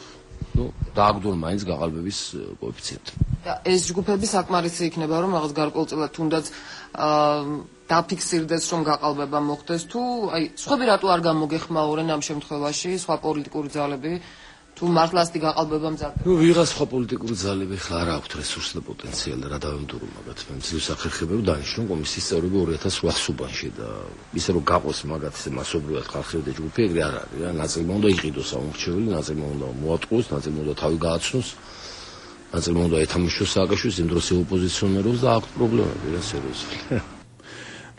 ნუ დააგდონ მაინც გაყალბების კოეფიციენტი. და ეს ჯგუფები საკმარისი იქნება, რომ რაღაც გარკვეულწილად თუნდაც დაფიქსირდეს, რომ გაყალბება მოხდეს, თუ აი სხვები რატო არ გამოგეხმაურენ ამ შემთხვევაში, სხვა პოლიტიკური ძალები, თუ მართლაც გაყალბება მზადდება? ნუ ვიღაც სხვა პოლიტიკური ძალები ხარ არ აქვთ რესურსს და პოტენციალი და რა დავემტურო მაგათ. მე მცირე სახერხებები დანიშნულ კომისიის წევრები ორი ათას ოთხ უბანში და ისე რომ გაყოს მაგათ ესე მასობრივად ხალხი და ჯგუფი ეგრე არ არის რა. ნაწილი უნდა იყიდოს ამორჩეველი, ნაწილი უნდა მოატყუოს, ნაწილი უნდა თავი გააცნოს. ნაწილი უნდა ეთამაშოს სააკაშვილის იმ დროს ოპოზიციონერებს და აქვს პრობლემები რა სერიოზული.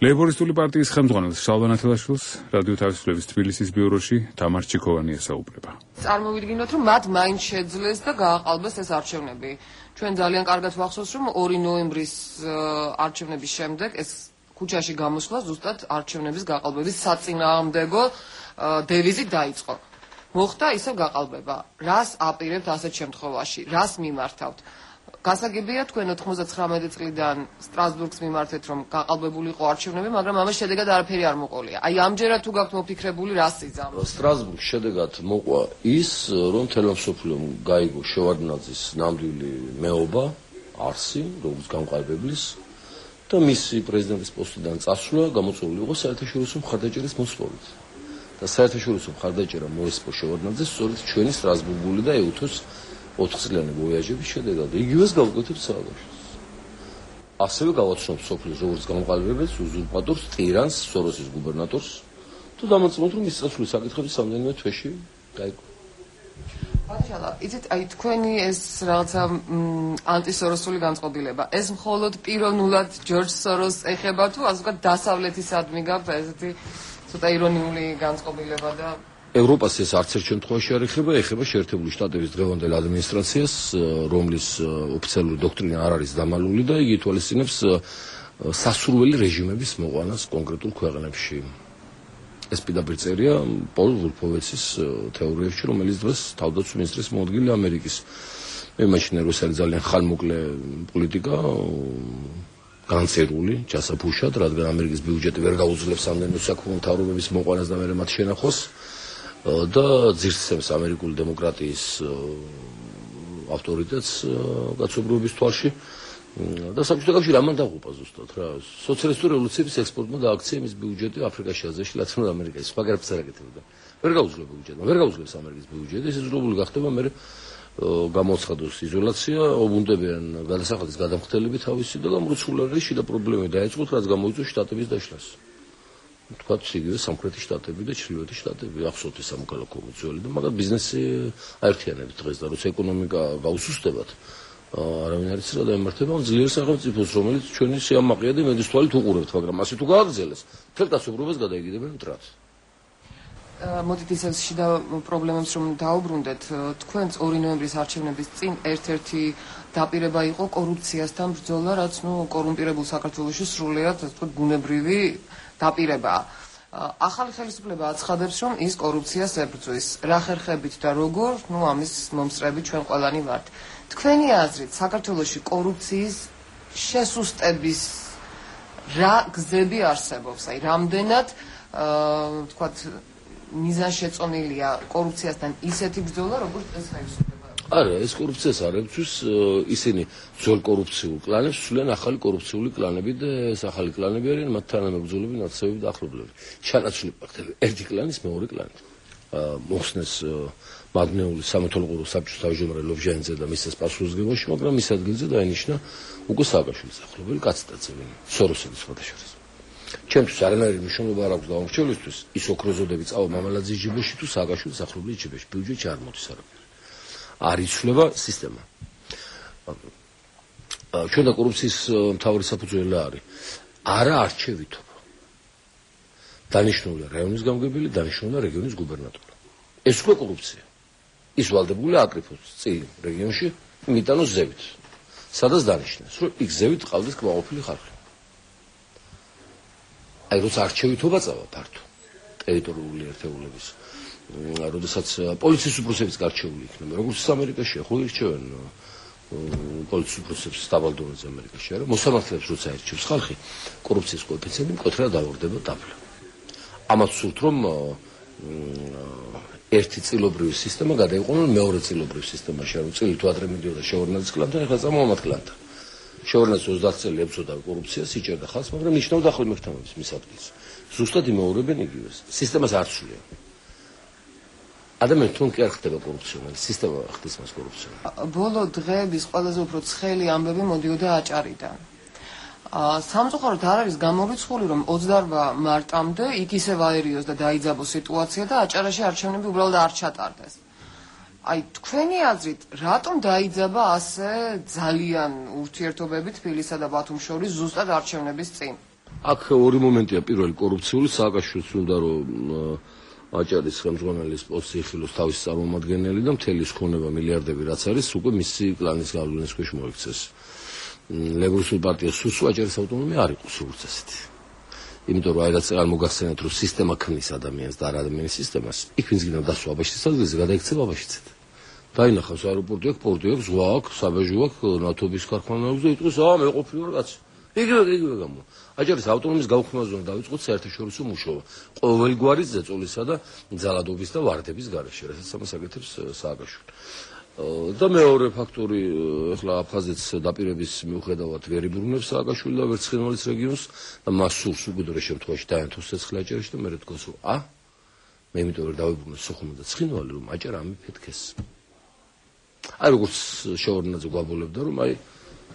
ლეიბორისტული პარტიის ხელმძღვანელს შალვა ნათელაშვილს რადიო თავისუფლების თბილისის ბიუროში თამარ ჩიქოვანი ესაუბრება. წარმოვიდგინოთ, რომ მათ მაინც შეძლეს და გააყალბეს ეს არჩევნები. ჩვენ ძალიან კარგად ვახსოვს, რომ ორი ნოემბრის არჩევნების შემდეგ ეს ქუჩაში გამოსვლა ზუსტად არჩევნების გაყალბების საწინააღმდეგო დევიზით დაიწყო. მოხდა ისევ გაყალბება. რას აპირებთ ასეთ შემთხვევაში? რას მიმართავთ? გასაგებია თქვენ ოთხმოცდათხრამეტი წლიდან სტრასბურგს მიმართეთ, რომ გაყალბებული იყო არჩევნები, მაგრამ ამას შედეგად არაფერი არ მოყოლია. აი ამჯერად თუ გაქვთ მოფიქრებული, რას იზამთ? სტრასბურგს შედეგად მოყვა ის, რომ თელმა მსოფლიომ გაიგო შევარდნაძის ნამდვილი მეობა, არსი, როგორც გამყალბებლის და მისი პრეზიდენტის პოსტიდან წასვლა გამოწვეული იყო საერთაშორისო მხარდაჭერის მოსვლით. და საერთაშორისო მხარდაჭერა მოესპო შევარდნაძეს სწორედ ჩვენი სტრასბურგული და ეუთოს ოთხწლიანი ვოიაჟების შედეგად. იგივეს გავუკეთებთ სააგაშოს. ასევე გავაცნობთ სოფლის როგორც გამყალბებელს, უზურპატორს, ტირანს, სოროსის გუბერნატორს თუ დამოწმოთ, რომ ის წასვლის საკითხები სამდენიმე თვეში გაიგო. ბატონო, იცით, აი თქვენი ეს რაღაცა ანტისოროსული განწყობილება, ეს მხოლოდ პიროვნულად ჯორჯ სოროს ეხება თუ ასე ვთქვათ დასავლეთისადმი გაქვთ ესეთი ცოტა ირონიული განწყობილება და ევროპას ეს არც ერთ შემთხვევაში არ ეხება, ეხება შეერთებული შტატების დღევანდელ ადმინისტრაციას, რომლის ოფიციალური დოქტრინა არ არის დამალული და იგი ითვალისწინებს სასურველი რეჟიმების მოყვანას კონკრეტულ ქვეყნებში. ეს პირდაპირ წერია პოლ ვულფოვეცის თეორიებში, რომელიც დღეს თავდაცვის მინისტრის მოადგილე ამერიკის. მე მაშინ რომ ეს არის ძალიან ხანმოკლე პოლიტიკა, განწერული, ჯასაფუშად, რადგან ამერიკის ბიუჯეტი ვერ გაუძლებს ამდენი საქმო მთავრობების მოყვანას და მერე მათ შენახოს. და ძირცემს ამერიკული დემოკრატიის ავტორიტეტს კაცობრიობის თვალში და საბჭოთა კავშირი ამან დაღუპა ზუსტად რა სოციალისტური რევოლუციის ექსპორტმა და აქციების ბიუჯეტი აფრიკაში, აზიაში, ლათინურ ამერიკაში სხვა გარკვეულს არ აკეთებდა. ვერ გაუძლებს ბიუჯეტმა, ვერ გაუძლებს ამერიკის ბიუჯეტი, ეს ზრდებული გახდება მე გამოცხადოს იზოლაცია, ობუნდებიან გადასახადის გადამხდელები თავისი და გამროცულარი შიდა პრობლემები დაეწყოთ, რაც გამოიწვია შტატების დაშლას. თქვა იგივე სამხრეთი შტატები და ჩრდილოეთი შტატები ახსოვთ ეს სამოქალაქო მოძრაობები და მაგრამ ბიზნესი აერთიანებს დღეს და როცა ეკონომიკა გაუსუსტებად არავინ არ იცის რა დაემართება ძლიერ სახელმწიფოს რომელიც ჩვენი სიამაყეა და მედის თვალით უყურებთ მაგრამ ასე თუ გააგრძელეს მთელ კაცობრიობას გადაიგდებენ მტრად. მოდით ისევ შიდა პრობლემებს რომ დაუბრუნდეთ, თქვენც ორი ნოემბრის არჩევნების წინ ერთ-ერთი დაპირება იყო კორუფციასთან ბრძოლა, რაც ნუ კორუმპირებულ საქართველოში სრულიად ასე ვთქვათ ბუნებრივი დაპირებაა. ახალი ხელისუფლება აცხადებს, რომ ის კორუფციას ებრძვის. რა ხერხებით და როგორ, ნუ ამის მომსწრები ჩვენ ყველანი ვართ. თქვენი აზრით, საქართველოში კორუფციის შესუსტების რა გზები არსებობს? აი, რამდენად ვთქვათ მიზანშეწონილია კორუფციასთან ისეთი ბრძოლა, როგორც ეს ხელისუფლება? არა, ეს კორუფციას არ ეკუთვნის, ისინი ძველ კორუფციულ კლანებს სულიან ახალი კორუფციული კლანები და ეს ახალი კლანები არიან მათ თანამებრძოლები, ნაცნობები და ახლობლები. ჩანაცვლი ფაქტები ერთი კლანის მეორე კლანით. მოხსნეს მაგნეული სამეთვალყურო საბჭოს თავმჯდომარე ლობჟანიძე და მისის პასუხისმგებაში, მაგრამ მის ადგილზე დაინიშნა უკვე სააკაშვილის ახლობელი კაცდაცე, სოროსელი სხვადასხვა. ჩემთვის არანაირი მნიშვნელობა არ აქვს გამორჩევლისთვის ის ოქროზოდები წავა მამალაძის ჯიბეში თუ სააკაშვილის ახლობლის ჯიბეში, ბიუჯეტში არ მოდის არაფერი. არ იცვლება სისტემა. ჩვენ და კორუფციის მთავარი საფუძველი არის არა არჩევითობა. დანიშნულია რაიონის გამგებელი, დანიშნულია რეგიონის გუბერნატორი. ეს უკვე კორუფცია. ის ვალდებულია აკრიფოს წილი რეგიონში მიტანოს ზევით. სადაც დანიშნეს, რომ იქ ზევით ყავდეს კმაყოფილი ხალხი. აი როცა არჩევითობა წავა ფართო ტერიტორიული ერთეულების, როდესაც პოლიციის უფროსებიც გარჩეული იქნება, როგორც ამერიკაში, ხო ირჩევენ პოლიციის უფროსებს სტაბალდონზე ამერიკაში, არა? მოსამართლეებს როცა ირჩევს ხალხი, კორუფციის კოეფიციენტი მკვეთრად დაუღდება დაბლა. ამას სურთ რომ ერთი წილობრივი სისტემა გადაიყვანონ მეორე წილობრივ სისტემაში, რომ წილი თუ ადრე მიდიოდა შეურნაძის კლანთან, ეხლა წამოვა მათ კლანთან. შეურნაძე ოცდაათი წელი ებრძოდა კორუფციას, იჭერდა ხალხს, მაგრამ ნიშნავდა ახალი მეხთამების მის ადგილს. ზუსტად იმეორებენ იგივეს. სისტემას არ ცვლიან. ადამიანი თუნ კი არ ხდება კორუფციონერი, სისტემა ხდის მას კორუფციონერი. ბოლო დღეების ყველაზე უფრო ცხელი ამბები მოდიოდა აჭარიდან. სამწუხაროდ არ არის გამორიცხული, რომ ოცდაორმა მარტამდე იქ ისევ აერიოს და დაიძაბოს სიტუაცია და აჭარაში არჩევნები უბრალოდ არ ჩატარდეს. აი თქვენი აზრით, რატომ დაიძაბა ასე ძალიან ურთიერთობები თბილისსა და ბათუმს შორის ზუსტად არჩევნების წინ? აქ ორი მომენტია, პირველი კორუფციული, სააკაშვილს უნდა რომ აჭარის ხელმძღვანელის პოსტი იხილოს თავის წარმომადგენელი და მთელი ხონება მილიარდები რაც არის უკვე მისი კლანის გავლენის ქვეშ მოიქცეს. ლეიბორისტული პარტია სურს აჭარის ავტონომია არ იყოს როგორც ასეთი. იმიტომ რომ აიღაც არ მოგახსენეთ რომ სისტემა ქმნის ადამიანს და არ ადამიანის სისტემას. იქ ვინც გინდა დასვა აბაშის ადგილზე გადაიქცება აბაშიცით. დაინახავს აეროპორტი აქვს, პორტი აქვს, ზღვა აქვს, საბაჟო აქვს, ნავთობის ქარხანა აქვს და იტყვის აა მე ყოფილი ვარ კაცი. იგივე იგივე გამო. აჭარის ავტონომიის გაუქმებაზე უნდა დავიწყოთ საერთაშორისო მუშაობა. ყოველგვარი ზეწოლისა და ძალადობის და ვარდების გარეშე, რასაც ამას აკეთებს სააკაშვილი. და მეორე ფაქტორი, ეხლა აფხაზეთს დაპირების მიუხედავად ვერ იბრუნებს სააკაშვილი და ვერც ცხინვალის რეგიონს და მას სურს უკიდურეს შემთხვევაში დაენთოს ცეცხლი აჭარაში და მერე თქოს რომ ა მე იმიტომ რომ დავიბრუნოს სოხუმი და ცხინვალი რომ აჭარა ამიფეთქეს. აი როგორც შეურნაძე გვაბოლებდა რომ აი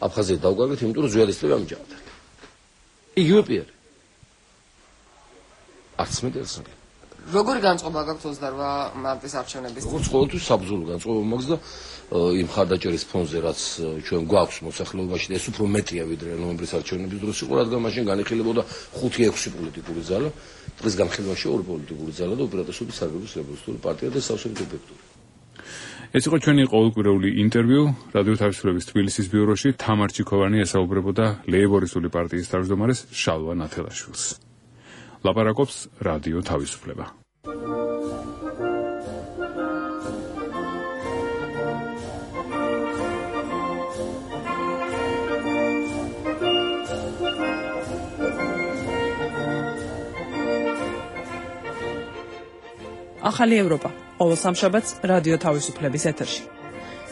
აფხაზეთი დავგაგეთ, იმიტომ რომ ზვიადისტები ამჯერად. იგივე პირი. არც მე და არც მე. როგორი განწყობა გაქვთ ოცდაორმა მარტის არჩევნების? როგორც ყოველთვის საბრძოლო განწყობა მაქვს და იმ ხარდაჭერის ფონზე რაც ჩვენ გვაქვს მოსახლეობაში და ეს უფრო მეტია ვიდრე ნოემბრის არჩევნების დროს იყო, რადგან მაშინ განიხილებოდა ხუთი ექვსი პოლიტიკური ძალა, დღეს განხილვაში ორი პოლიტიკური ძალა და უპირატესობის საგრების ლეიბორისტული პარტია და სავსებით ეფექტური. ეს იყო ჩვენი ყოველკვირეული ინტერვიუ რადიო თავისუფლების თბილისის ბიუროში. თამარ ჩიქოვანი ესაუბრებოდა ლეიბორისტული პარტიის თავმჯდომარეს შალვა ნათელაშვილს. ლაპარაკობს რადიო თავისუფლება. ახალი ევროპა. ყოველ სამშაბათს რადიო თავისუფლების ეთერში.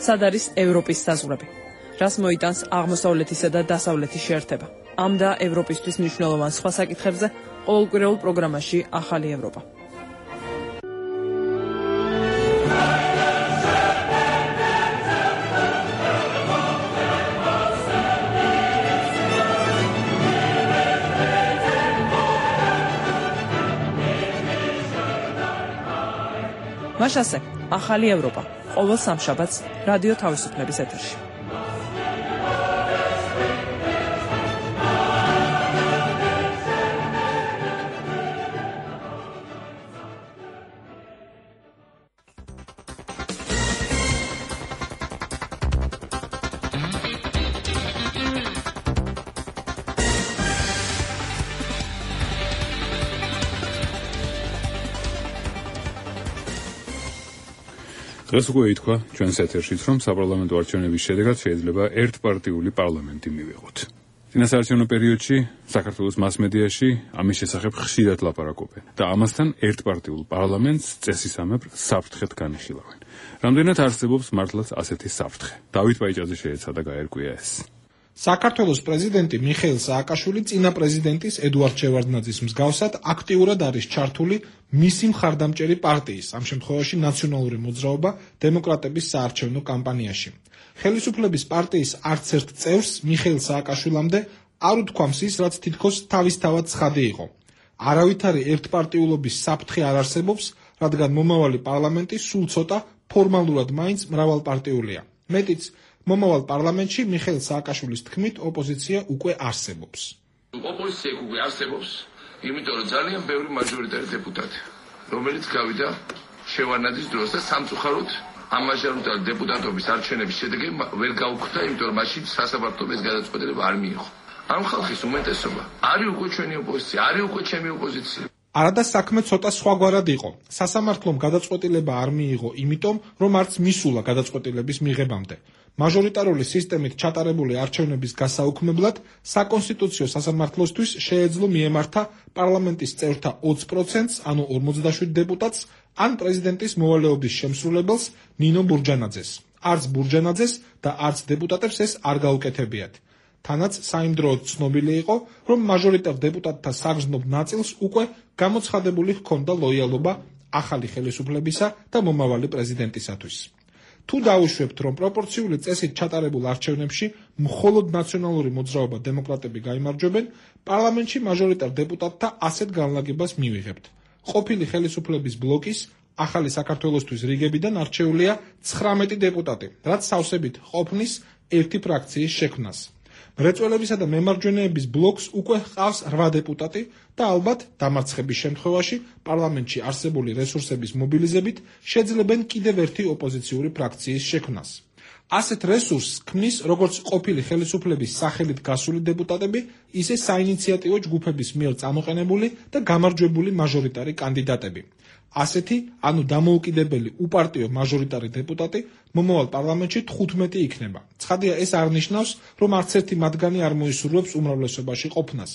სად არის ევროპის საზღვრები? რას მოიტანს აღმოსავლეთისა და დასავლეთის შეერთება? ამ და ევროპისთვის მნიშვნელოვან სხვა საკითხებზე ყოველკვირეულ პროგრამაში ახალი ევროპა. მაშასე, ახალი ევროპა, ყოველ სამშაბათს რადიო თავისუფლების ეთერში. დღეს უკვე ითქვა ჩვენს ეთერშიც, რომ საპარლამენტო არჩევნების შედეგად შეიძლება ერთპარტიული პარლამენტი მივიღოთ. წინასაარჩევნო პერიოდში საქართველოს მასმედიაში ამის შესახებ ხშირად ლაპარაკობენ და ამასთან ერთპარტიულ პარლამენტს წესისამებრ საფრთხედ განიხილავენ. რამდენად არსებობს მართლაც ასეთი საფრთხე? დავით ბაიჭაძე შეეცადა გაერკვია ეს. საქართველოს პრეზიდენტი მიხეილ სააკაშვილი წინა პრეზიდენტის ედუარდ შევარდნაძის მსგავსად აქტიურად არის ჩართული მისი მხარდამჭერი პარტიის, ამ შემთხვევაში ნაციონალური მოძრაობა დემოკრატების საარჩევნო კამპანიაში. ხელისუფლების პარტიის არც ერთ წევრს მიხეილ სააკაშვილამდე არ უთქვამს ის, რაც თითქოს თავისთავად ცხადი იყო. არავითარი ერთპარტიულობის საფრთხე არ არსებობს, რადგან მომავალი პარლამენტი სულ ცოტა ფორმალურად მაინც მრავალპარტიულია. მეტიც, მომავალ პარლამენტში მიხეილ სააკაშვილის თქმით ოპოზიცია უკვე არსებობს. ოპოზიცია უკვე არსებობს, იმიტომ რომ ძალიან ბევრი მაჟორიტარი დეპუტატი, რომელიც გავიდა შევარდნაძის დროს და სამწუხაროდ ამ მაჟორიტარი დეპუტატობის არჩევნების შედეგი ვერ გაუქმდა, იმიტომ რომ მაშინ სასამართლოს გადაწყვეტილება არ მიიღო. ამ ხალხის უმეტესობა არის უკვე ჩვენი ოპოზიცია, არის უკვე ჩემი ოპოზიცია. არადა საქმე ცოტა სხვაგვარად იყო. სასამართლომ გადაწყვეტილება არ მიიღო, იმიტომ რომ არც მისულა გადაწყვეტილების მიღებამდე. მაჟორიტარული სისტემით ჩატარებული არჩევნების გასაუქმებლად საკონსტიტუციო სასამართლოსთვის შეეძლო მიემართა პარლამენტის წევრთა ოცი პროცენტს, ანუ ორმოცდაშვიდ დეპუტატს, ან პრეზიდენტის მოვალეობის შემსრულებელს ნინო ბურჯანაძეს. არც ბურჯანაძეს და არც დეპუტატებს ეს არ გაუკეთებიათ. თანაც საიმდროოდ ცნობილი იყო, რომ მაჟორიტარ დეპუტატთა საგრძნობ ნაწილს უკვე გამოცხადებული ჰქონდა ლოიალობა ახალი ხელისუფლებისა და მომავალი პრეზიდენტისათვის. თუ დაუშვებთ, რომ პროპორციული წესით ჩატარებულ არჩევნებში მხოლოდ ნაციონალური მოძრაობა დემოკრატები გაიმარჯვებენ, პარლამენტში მაჟორიტარ დეპუტატთა ასეთ განლაგებას მივიღებთ. ყოფილი ხელისუფლების ბლოკის ახალი საქართველოსთვის რიგებიდან არჩეულია ცხრამეტი დეპუტატი, რაც სავსებით ყოფნის ერთი ფრაქციის შექმნას. მრეწველებისა და მემარჯვენეების ბლოკს უკვე ჰყავს რვა დეპუტატი და ალბათ დამარცხების შემთხვევაში პარლამენტში არსებული რესურსების მობილიზებით შეძლებენ კიდევ ერთი ოპოზიციური ფრაქციის შექმნას. ასეთ რესურსს ქმნის როგორც ყოფილი ხელისუფლების სახელით გასული დეპუტატები, ისე საინიციატივო ჯგუფების მიერ წამოყენებული და გამარჯვებული მაჟორიტარი კანდიდატები. ასეთი, ანუ დამოუკიდებელი უპარტიო მაჟორიტარი დეპუტატი მომავალ პარლამენტში თხუთმეტი იქნება. ცხადია, ეს არ ნიშნავს, რომ არც ერთი მათგანი არ მოისურვებს უმრავლესობაში ყოფნას.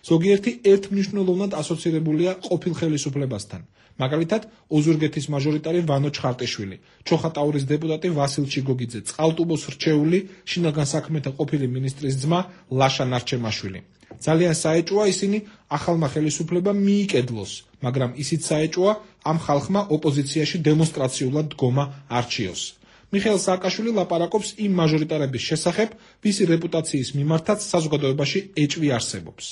ზოგიერთი ერთმნიშვნელოვნად ასოცირებულია ყოფილ ხელისუფლებასთან. მაგალითად, ოზურგეთის მაჟორიტარი ვანო ჩხარტიშვილი, ჩოხატაურის დეპუტატი ვასილ ჩიგოგიძე, წყალტუბოს რჩეული შინაგან საქმეთა ყოფილი მინისტრის ძმა ლაშა ნარჩემაშვილი. ძალიან საეჭვოა ისინი ახალმა ხელისუფლებამ მიიკედლოს, მაგრამ ისიც საეჭვოა ამ ხალხმა ოპოზიციაში დემონსტრაციულად დგომა არჩიოს. მიხეილ სააკაშვილი ლაპარაკობს იმ მაჟორიტარების შესახებ, ვისი რეპუტაციის მიმართაც საზოგადოებაში ეჭვი არსებობს.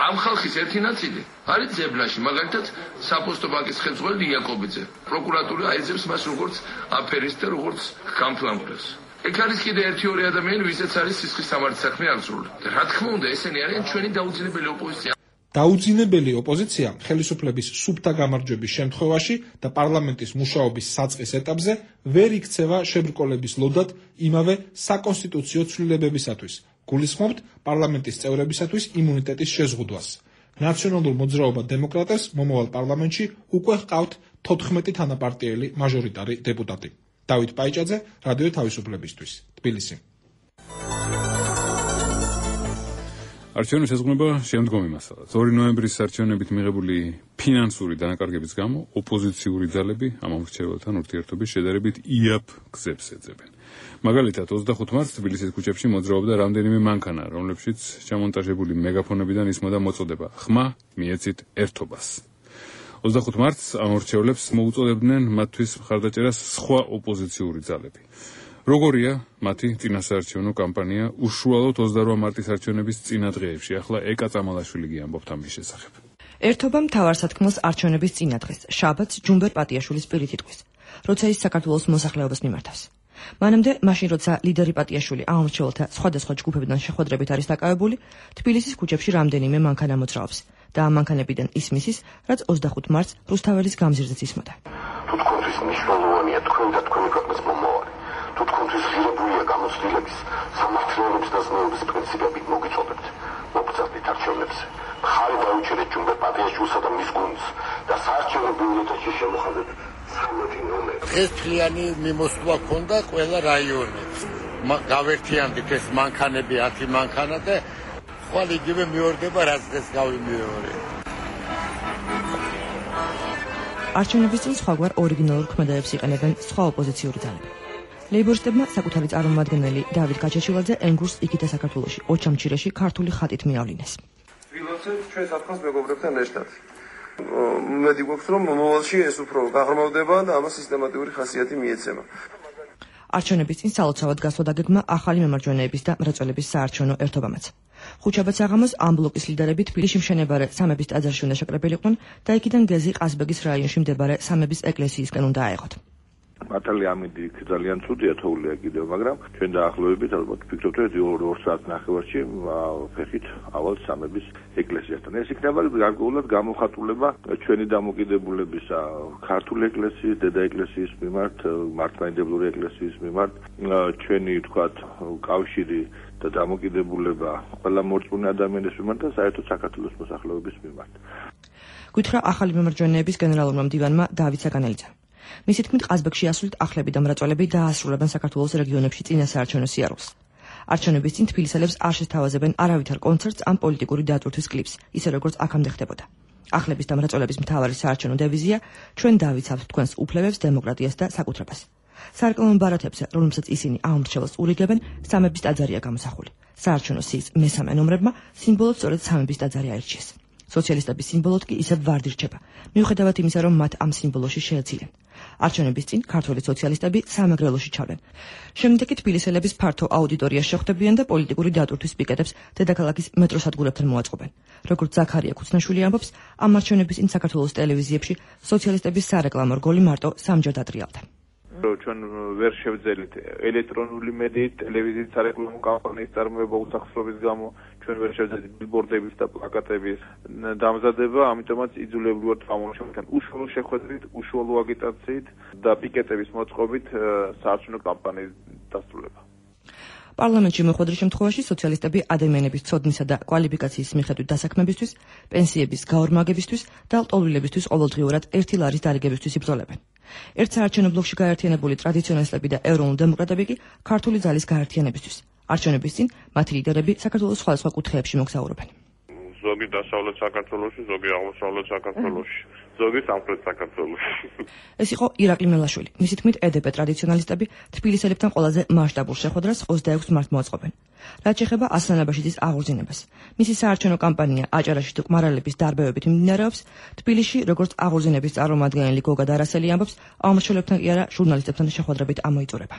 ამ ხალხის ერთი ნაწილი არის ძებლაში, მაგალითად საფოსტო ბანკის ხელმძღვანელი იაკობიძე. პროკურატურა აიძებს მას როგორც აფერისტს და როგორც გამფლანკვლებს. ეგ არის კიდე ერთი ორი ადამიანი, ვისაც არის სისხლის სამართლის საქმე აღძრული. და რა თქმა უნდა, ესენი არიან ჩვენი დაუძინებელი ოპოზიცია. დაუძინებელი ოპოზიცია ხელისუფლების სუფთა გამარჯვების შემთხვევაში და პარლამენტის მუშაობის საწყის ეტაპზე ვერ იქცევა შებრკოლების ლოდად იმავე საკონსტიტუციო ცვლილებებისათვის. გულისხმობთ პარლამენტის წევრებისათვის იმუნიტეტის შეზღუდვას. ნაციონალურ მოძრაობა დემოკრატებს მომავალ პარლამენტში უკვე ჰყავთ თოთხმეტი თანაპარტიელი მაჟორიტარი დეპუტატი. დავით ბაიჭაძე, რადიო თავისუფლებისთვის, თბილისი. არჩევნების შეზღუდვა შემდგომი მასალაა. ორი ნოემბრის არჩევნებით მიღებული ფინანსური დანაკარგების გამო ოპოზიციური ძალები ამ მრჩეველთან ურთიერთობის შედარებით იაფ გზებს ეძებენ. მაგალითად, ოცდახუთი მარტს თბილისის ქუჩებში მოძრაობდა რამდენიმე მანქანა, რომლებშიც ჩამონტაჟებული მეგაფონებიდან ისმოდა მოწოდება ხმა მიეცით ერთობას. ოცდახუთი მარტს ამ მრჩევლებს მოუწოდებდნენ მათთვის მხარდაჭერას სხვა ოპოზიციური ძალები. როგორია მათი წინასაარჩევნო კამპანია უშუალოდ ოცდარვა მარტის არჩევნების წინა დღეებში? ახლა ეკა წამალაშვილი გიამბობთ ამის შესახებ. ერთობა მთავარსათქმელს არჩევნების წინა დღეს, შაბათს ჯუმბერ პატიაშვილის პირით იტყვის, როცა ის საქართველოს მოსახლეობას მიმართავს. მანამდე, მაშინ როცა ლიდერი პატიაშვილი ამ მრჩეველთა სხვადასხვა ჯგუფებიდან შეხვედრებით არის დაკავებული, თბილისის ქუჩებში რამდენიმე მანქანა მოძრაობს და ამ მანქანებიდან ისმის, რაც ოცდახუთი მარტს რუსთაველის გამზირზეც ისმოდა. თუ თქვენთვის მნიშვნელოვანია თქვენ და თქვენი ქვეყნის მომავალი, თუ თქვენთვის ღირებულია გამოცდილების, სამართლიანობის და ზნეობის პრინციპები, მოგიწოდებთ, მოგწადეთ არჩევნებზე. მხარი დაუჭერეთ ჯუმბერ პატიაშვილსა და მის გუნდს და საარჩევნო ბიულეტენში შემოხადეთ ცხრამეტი ნომერი. დღეს თლიანი მიმოსვლა ჰქონდა ყველა რაიონით. გავერთიანდით ეს მანქანები, ათი მანქანა და ხვალ იგივე მეორდება, რაც დღეს გავიმეორე. არჩევნების წინ სხვაგვარ ორიგინალურ ქმედებს იყენებენ სხვა ოპოზიციური ძალები. ლეიბორისტებმა საკუთარი წარმომადგენელი დავით გაჩეჩილაძე ენგურს იქითა საქართველოში ოჩამჩირეში ქართული ხატით მიავლინეს. ვილოცებ ჩვენ საფრთხეს მეგობრებთან ერთად. მედი გვაქვს რომ მომავალში ეს უფრო გაღრმავდება და ამას სისტემატიური ხასიათი მიეცემა. არჩევნების წინ სალოცავად გასვლა დაგეგმა ახალი მემარჯვენეების და მრეწველების საარჩევნო ერთობამაც. ხუჩაბად საღამოს ამ ბლოკის ლიდერები თბილისში მშენებარე სამების ტაძარში უნდა შეკრებილიყვნენ და იქიდან გეზი ყაზბეგის რაიონში მდებარე სამების ეკლესიისკენ უნდა აეღოთ. მართალი ამინდი ძალიან ცუდია თოვლია კიდევ, მაგრამ ჩვენ დაახლოებით ალბათ ვფიქრობთ, რომ ორ საათ ნახევარში ფეხით ავალ სამების ეკლესიასთან. ეს იქნება გარკვეულად გამოხატულება ჩვენი დამოკიდებულების ქართული ეკლესიის, დედა ეკლესიის მიმართ, მართლმადიდებლური ეკლესიის მიმართ, ჩვენი თქვათ კავშირი და დამოკიდებულება ყველა მორწმუნე ადამიანის მიმართ და საერთოდ საქართველოს მოსახლეობის მიმართ. გითხრა ახალი მემარჯვენეების გენერალურმა მდივანმა დავით საგანელიძემ. მისი თქმით, ყაზბეგში ასვლით ახლები და მრეწველები დაასრულებენ საქართველოს რეგიონებში წინასაარჩევნო სიარულს. არჩევნების წინ თბილისელებს არ შესთავაზებენ არავითარ კონცერტს ან პოლიტიკური დატვირთვის კლიპს, ისე როგორც აქამდე ხდებოდა. ახლების და მრეწველების მთავარი საარჩევნო დევიზია ჩვენ დავიცავთ თქვენს უფლებებს, დემოკრატიას და საკუთრებას. სარეკლამო ბარათებზე, რომელსაც ისინი აუმრჩეველს ურიგებენ, სამების ტაძარია გამოსახული. საარჩევნო სიის მესამე ნომრებმა სიმბოლოდ სწორედ სამების ტაძარი აირჩიეს. სოციალისტების სიმბოლოდ კი ისევ ვარდი რჩება, მიუხედავად იმისა, რომ მათ ამ სიმბოლოში შეეცილნენ. არჩევნების წინ ქართული სოციალისტები სამეგრელოში ჩავდნენ. შემდეგ კი თბილისელების ფართო აუდიტორიას შეხვდებიან და პოლიტიკური დატვირთვის პიკეტებს დედაქალაქის მეტროსადგურებთან მოაწყობენ. როგორც ზაქარია ქუცნაშვილი ამბობს, ამ არჩევნების წინ საქართველოს ტელევიზიებში სოციალისტების სარეკლამო რგოლი მარტო სამჯერ დატრიალდა. ჩვენ ვერ შევძელით ელექტრონული მედიით, ტელევიზიის სარეკლამო კამპანიის წარმოება უსახსრობის გამო, ჩვენ ვერ შევძელით ბილბორდების და პლაკატების დამზადება, ამიტომაც იძულებრივად ამოვშევთ უშუალო შეხვედრით, უშუალო აგიტაციით და პიკეტების მოწყობით საარჩევნო კამპანიის დასრულება. პარლამენტში მოხვედრის შემთხვევაში სოციალისტები ადამიანების ცოდნისა და კვალიფიკაციის მიხედვით დასაქმებისთვის, პენსიების გაორმაგებისთვის და ლტოლვილებისთვის ყოველდღიურად ერთი ლარის დარიგებისთვის იბრძოლებენ. ერთ საარჩევნო ბლოკში გაერთიანებული ტრადიციონალისტები და ევროპული დემოკრატები კი ქართული ძალის გაერთიანებისთვის. არჩევნების წინ მათი ლიდერები საქართველოს სხვადასხვა კუთხეებში მოგზაურობენ. ზოგი დასავლეთ საქართველოში, ზოგი აღმოსავლეთ საქართველოში, ზოგი სამხრეთ საქართველოში. ეს იყო ირაკლი მელაშვილი. მისი თქმით, ე დე პე ტრადიციონალისტები თბილისელებთან ყველაზე მასშტაბურ შეხვედრას ოცდაექვსი მარტს მოაწყობენ. რაც შეეხება ასლან აბაშიძის აღორძინებას. მისი საარჩევნო კამპანია აჭარაში მყმარელების დარბევებით მიმდინარეობს. თბილისში, როგორც აღორძინების წარმომადგენელი გოგა დარასელი ამბობს, აღმშენებლებთან კი არა, ჟურნალისტებთან შეხვედრებით ამოიწურება.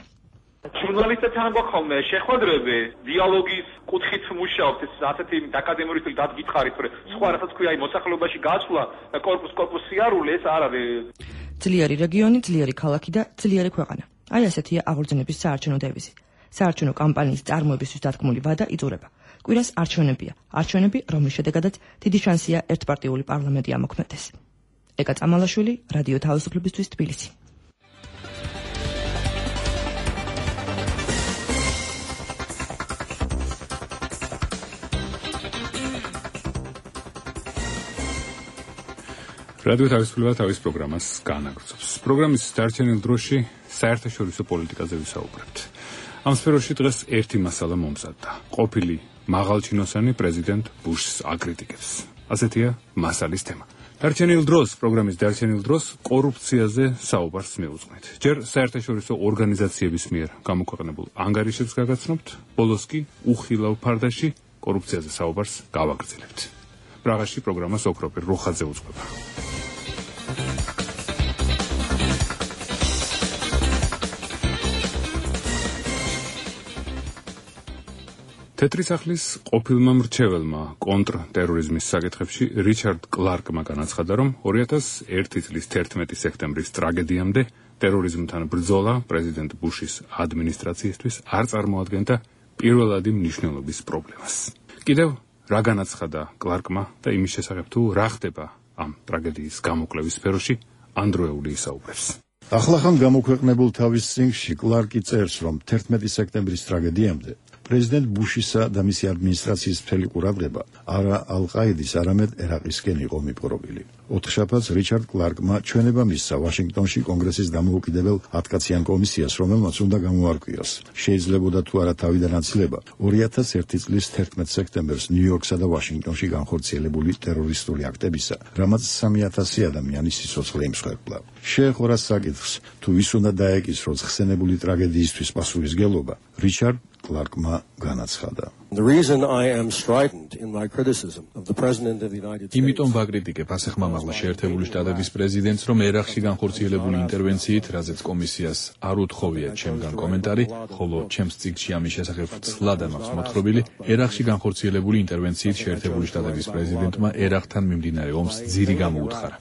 ჟურნალისტებთან გვაქვს ხოლმე შეხვედრები, დიალოგის კუთხით მუშაობთ, ეს ასეთი აკადემიური სტილი დაგითხარით, რომ სხვა რასაც ქვია, აი მოსახლეობაში გასვლა და კორპუს კორპუს სიარული ეს არ არის. ძლიერი რეგიონი, ძლიერი ქალაქი და ძლიერი ქვეყანა. აი ასეთია აღორძინების საარჩევნო დევიზი. საარჩევნო კამპანიის წარმოებისთვის დათქმული ვადა იწურება. კვირას არჩევნებია. არჩევნები, რომლის შედეგადაც დიდი შანსია ერთპარტიული პარლამენტი ამოქმედდეს. ეკა წამალაშვილი, რადიო თავისუფლებისთვის თბილისი. რადიო თავისუფლება თავის პროგრამას განაგრძობს. პროგრამის დარჩენილ დროში საერთაშორისო პოლიტიკაზე ვისაუბრებთ. ამ სფეროში დღეს ერთი მასალა მომზადდა. ყოფილი მაღალჩინოსანი პრეზიდენტ ბუშს აკრიტიკებს. ასეთია მასალის თემა. დარჩენილ დროს, პროგრამის დარჩენილ დროს კორუფციაზე საუბარს მივუძღვნით. ჯერ საერთაშორისო ორგანიზაციების მიერ გამოქვეყნებულ ანგარიშებს გაგაცნობთ, ბოლოს კი უხილავ ფარდაში კორუფციაზე საუბარს გავაგრძელებთ. პრაღაში პროგრამას ოქროპირ როხაძე უძღვება. თეთრი სახლის ყოფილმა მრჩეველმა კონტრტერორიზმის საკითხებში რიჩარდ კლარკმა განაცხადა, რომ ორი ათას ერთი წლის თერთმეტი სექტემბრის ტრაგედიამდე ტერორიზმთან ბრძოლა პრეზიდენტ ბუშის ადმინისტრაციისთვის არ წარმოადგენდა პირველადი მნიშვნელობის პრობლემას. კიდევ რა განაცხადა კლარკმა და იმის შესახებ თუ რა ხდება ამ ტრაგედიის გამოკვლევის სფეროში, ანდროეული ისაუბრებს. ახლახან გამოქვეყნებულ თავის წიგნში კლარკი წერს, რომ თერთმეტი სექტემბრის ტრაგედიამდე პრეზიდენტ ბუშისა და მისი ადმინისტრაციის მთელი ყურადღება არა ალ-ყაიდის, არამედ ერაყისკენ იყო მიპყრობილი. ოთხშაბათს რიჩარდ კლარკმა ჩვენება მისცა ვაშინგტონში კონგრესის დამოუკიდებელ ათკაციან კომისიას, რომელმაც უნდა გამოარკვიოს, შეიძლებოდა თუ არა თავიდან აცილება ორი ათას ერთი წლის თერთმეტ სექტემბერს ნიუ-იორკსა და ვაშინგტონში განხორციელებული ტერორისტული აქტებისა, რამაც სამი ათასი ადამიანი სიცოცხლე იმსხვერპლა. შეეხო რას საკითხს, თუ ვის უნდა დაეკისროს ხსენებული ტრაგედიისთვის პასუხისგებლობა, რიჩარდ კლარკმა განაცხადა. იმიტომ ვაკრიტიკებ ასეხმამაღლა შეერთებული შტატების პრეზიდენტს, რომ ერაყში განხორციელებული ინტერვენციით, რაზეც კომისიას არ უთხოვია ჩემგან კომენტარი, ხოლო ჩემს წიგნში ამის შესახებ ცლად მაქვს მოთხრობილი, ერაყში განხორციელებული ინტერვენციით შეერთებული შტატების პრეზიდენტმა ერაყთან მიმდინარე ომს ძირი გამოუთხარა.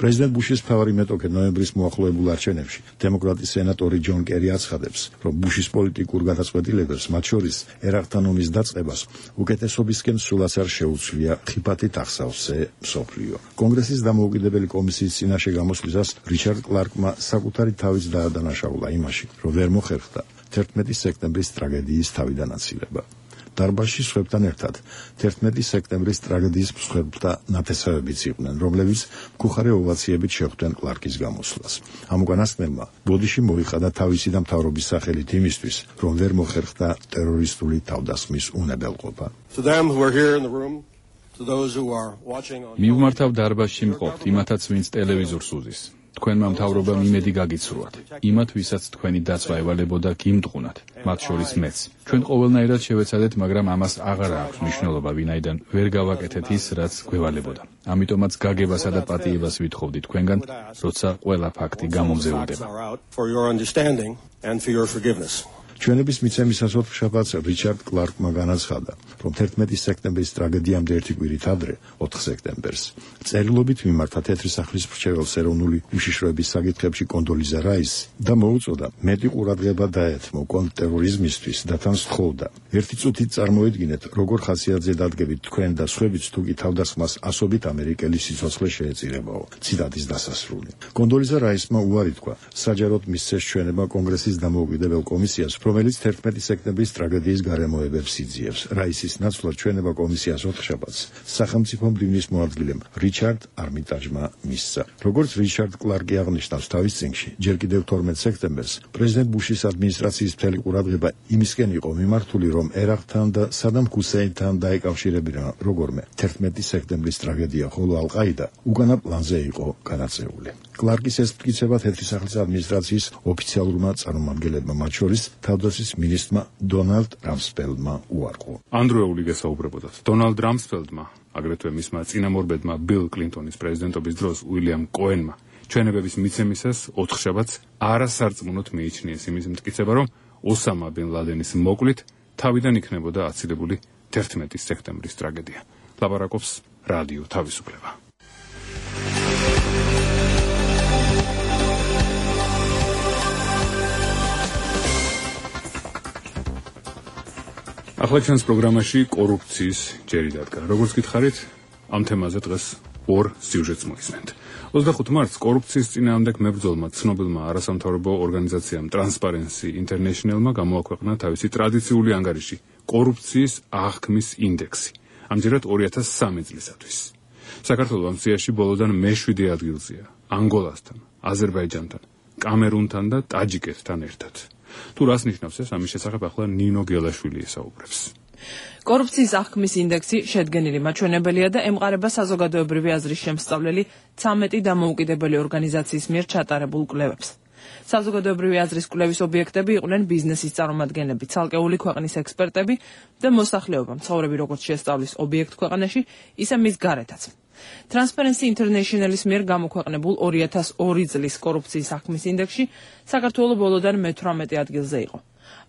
პრეზიდენტ ბუშის მთავარი მეტოქე ნოემბრის მოახლოებულ არჩევნებში დემოკრატის სენატორი ჯონ კერი აცხადებს, რომ ბუშის პოლიტიკურ გადაწყვეტილებებს, მათ შორის ერაყთან ომის დაწყებას, უკეთესობისკენ სულაც არ შეუცვლია ხიფათით ახსავსე მსოფლიო. კონგრესის დამოუკიდებელი კომისიის წინაშე გამოსვლისას რიჩარდ კლარკმა საკუთარი თავიც დაადანაშაულა იმაში, რომ ვერ მოხერხდა თერთმეტი სექტემბრის ტრაგედიის თავიდან აცილება. დარბაზში სხვებთან ერთად თერთმეტი სექტემბრის ტრაგედიის მსხვერპლთა ნათესავებიც იყვნენ, რომლებიც მკუხარე ოვაციებით შეხვდნენ კლარკის გამოსვლას. ამ უკანასკნელმა ბოდიში მოიხადა თავისი და მთავრობის სახელით იმისთვის, რომ ვერ მოხერხდა ტერორისტული თავდასხმის უნებელყოფა. მივმართავ დარბაზში მყოფთ იმათაც, ვინც ტელევიზორს უზის. თქვენმა მთავრობამ იმედი გაგიცრუათ. იმათ, ვისაც თქვენი დაცვა ევალებოდა, გიმტყუნათ, მათ შორის მეც. ჩვენ ყოველნაირად შევეცადეთ, მაგრამ ამას აღარ აქვს მნიშვნელობა, ვინაიდან ვერ გავაკეთეთ ის, რაც გვევალებოდა. ამიტომაც გაგებასა და პატიებას ვითხოვდი თქვენგან, როცა ყველა ფაქტი გამომზეულდება. ჩვენების მიცემისას ოთხშაბათს რიჩარდ კლარკმა განაცხადა, რომ თერთმეტი სექტემბრის ტრაგედიამდე ერთი კვირით ადრე, ოთხ სექტემბერს, წერილობით მიმართა თეთრი სახლის მრჩეველს ეროვნული უშიშროების საკითხებში კონდოლიზა რაისს და მოუწოდა მეტი ყურადღება დაეთმო კონტრტერორიზმისთვის და თან სთხოვდა. ერთი წუთით წარმოედგინეთ, როგორ ხასიათზე დადგებით თქვენ და სხვებიც თუ კი თავდასხმას ასობით ამერიკელი სიცოცხლე შეეწირებაო. ციტატის დასასრული. კონდოლიზა რაისმა უარი თქვა, საჯაროდ მისცეს ჩვენება კონგრესის დამოუკიდებელ კომისიას, რომელიც თერთმეტი სექტემბრის ტრაგედიის გარემოებებს იძიებს. რაისის ნაცვლად ჩვენება კომისიას ოთხშაბათს სახელმწიფო მდივნის მოადგილემ რიჩარდ არმიტაჟმა მისცა. როგორც რიჩარდ კლარკი აღნიშნავს თავის წიგნში, ჯერ კიდევ თორმეტ სექტემბერს პრეზიდენტ ბუშის ადმინისტრაციის მთელი ყურადღება იმისკენ იყო მიმართული, რომ ერაყთან და სადამ ჰუსეინთან დაეკავშირებინა როგორმე თერთმეტი სექტემბრის ტრაგედია, ხოლო ალ-ყაიდა უკანა პლანზე იყო განაწეული. კლარკის ეს მტკიცება თეთრი სახლის ადმინისტრაციის ოფიციალურმა წარმომადგენლებმა, მათ შორის თავდაცვის მინისტრმა დონალდ რამსფელდმა უარყო. ანდროეული გესაუბრებოდათ. დონალდ რამსფელდმა, აგრეთვე მისმა წინამორბედმა ბილ კლინტონის პრეზიდენტობის დროს უილიამ კოენმა ჩვენებების მიცემისას ოთხშაბათს არასარწმუნოდ მიიჩნიეს იმის მტკიცება, რომ ოსამა ბინ ლადენის მოკლით თავიდან იქნებოდა აცილებული თერთმეტი სექტემბრის ტრაგედია. ლაპარაკობს რადიო თავისუფლება. ახლა ჩვენს პროგრამაში კორუფციის ჯერი დადგა. როგორც გითხარით, ამ თემაზე დღეს ორ სიუჟეტს მოისმენთ. ოცდახუთი მარტს კორუფციის წინააღმდეგ მებრძოლმა ცნობილმა არასამთავრობო ორგანიზაციამ Transparency International-მა გამოაქვეყნა თავისი ტრადიციული ანგარიში კორუფციის აღქმის ინდექსი, ამჯერად ორი ათას სამი წლისათვის. საქართველო ამ სიაში ბოლოდან მეშვიდე ადგილზეა, ანგოლასთან, აზერბაიჯანთან, კამერუნთან და ტაჯიკეთთან ერთად. თუ რას ნიშნავს ეს, ამის შესახებ ახლა ნინო გელაშვილი ესაუბრებს. კორუფციის აღქმის ინდექსი შედგენილი მაჩვენებელია და ემყარება საზოგადოებრივი აზრის შემსწავლელი ცამეტი დამოუკიდებელი ორგანიზაციის მიერ ჩატარებულ კვლევებს. საზოგადოებრივი აზრის კვლევის ობიექტები იყვნენ ბიზნესის წარმომადგენლები, ცალკეული ქვეყნის ექსპერტები და მოსახლეობა, მცხოვრები როგორც შესწავლის ობიექტ ქვეყანაში, ისე მის გარეთაც. Transparency International-ის მიერ გამოქვეყნებულ ორი ათას ორი წლის კორუფციის აღქმის ინდექსში საქართველო ბოლოდან მეთვრამეტე ადგილზე იყო.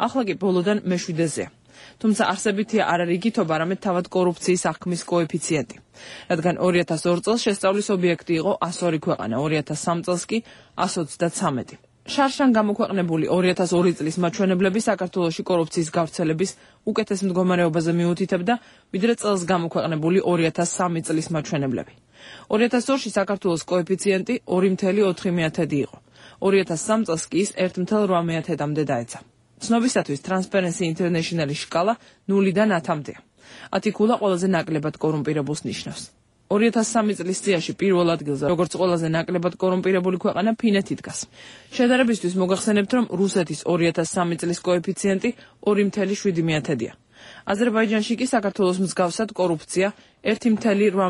ახლა კი ბოლოდან მეშვიდეზეა. თუმცა არსებითია არა რიგითობა, არამედ თავად კორუფციის აღქმის კოეფიციენტი. რადგან ორი ათას ორ წელს შესწავლის ობიექტი იყო ას ორი ქვეყანა, ორი ათას სამ წელს კი ას ოცდათსამეტი. შარშან გამოქვეყნებული ორი ათას ორი წლის მაჩვენებლები საქართველოში კორუფციის გავრცელების უკეთეს მდგომარეობაზე მიუთითებდა, ვიდრე წელს გამოქვეყნებული ორი ათას სამი წლის მაჩვენებლები. ორი ათას ორში საქართველოს კოეფიციენტი ორი კoma ოთხი იყო. ორი ათას სამ წელს კი ის ერთ მეთერთმეტ ორმეტამდე დაეცა. ცნობისათვის Transparency International-ის სკალა ნულიდან ათამდეა. ათი ქულა ყველაზე ნაკლებად კორუმპირებულს ნიშნავს. ორი ათას სამი წლის სიაში პირველ ადგილზე, როგორც ყველაზე ნაკლებად კორუმპირებული ქვეყანა ფინეთი დგას. შედარებისთვის მოგახსენებთ, რომ რუსეთის ორი ათას სამი წლის კოეფიციენტი ორი ათეული შვიდი მეათედია. აზერბაიჯანში კი საქართველოს მსგავსად კორუფცია ერთი ათეული რვა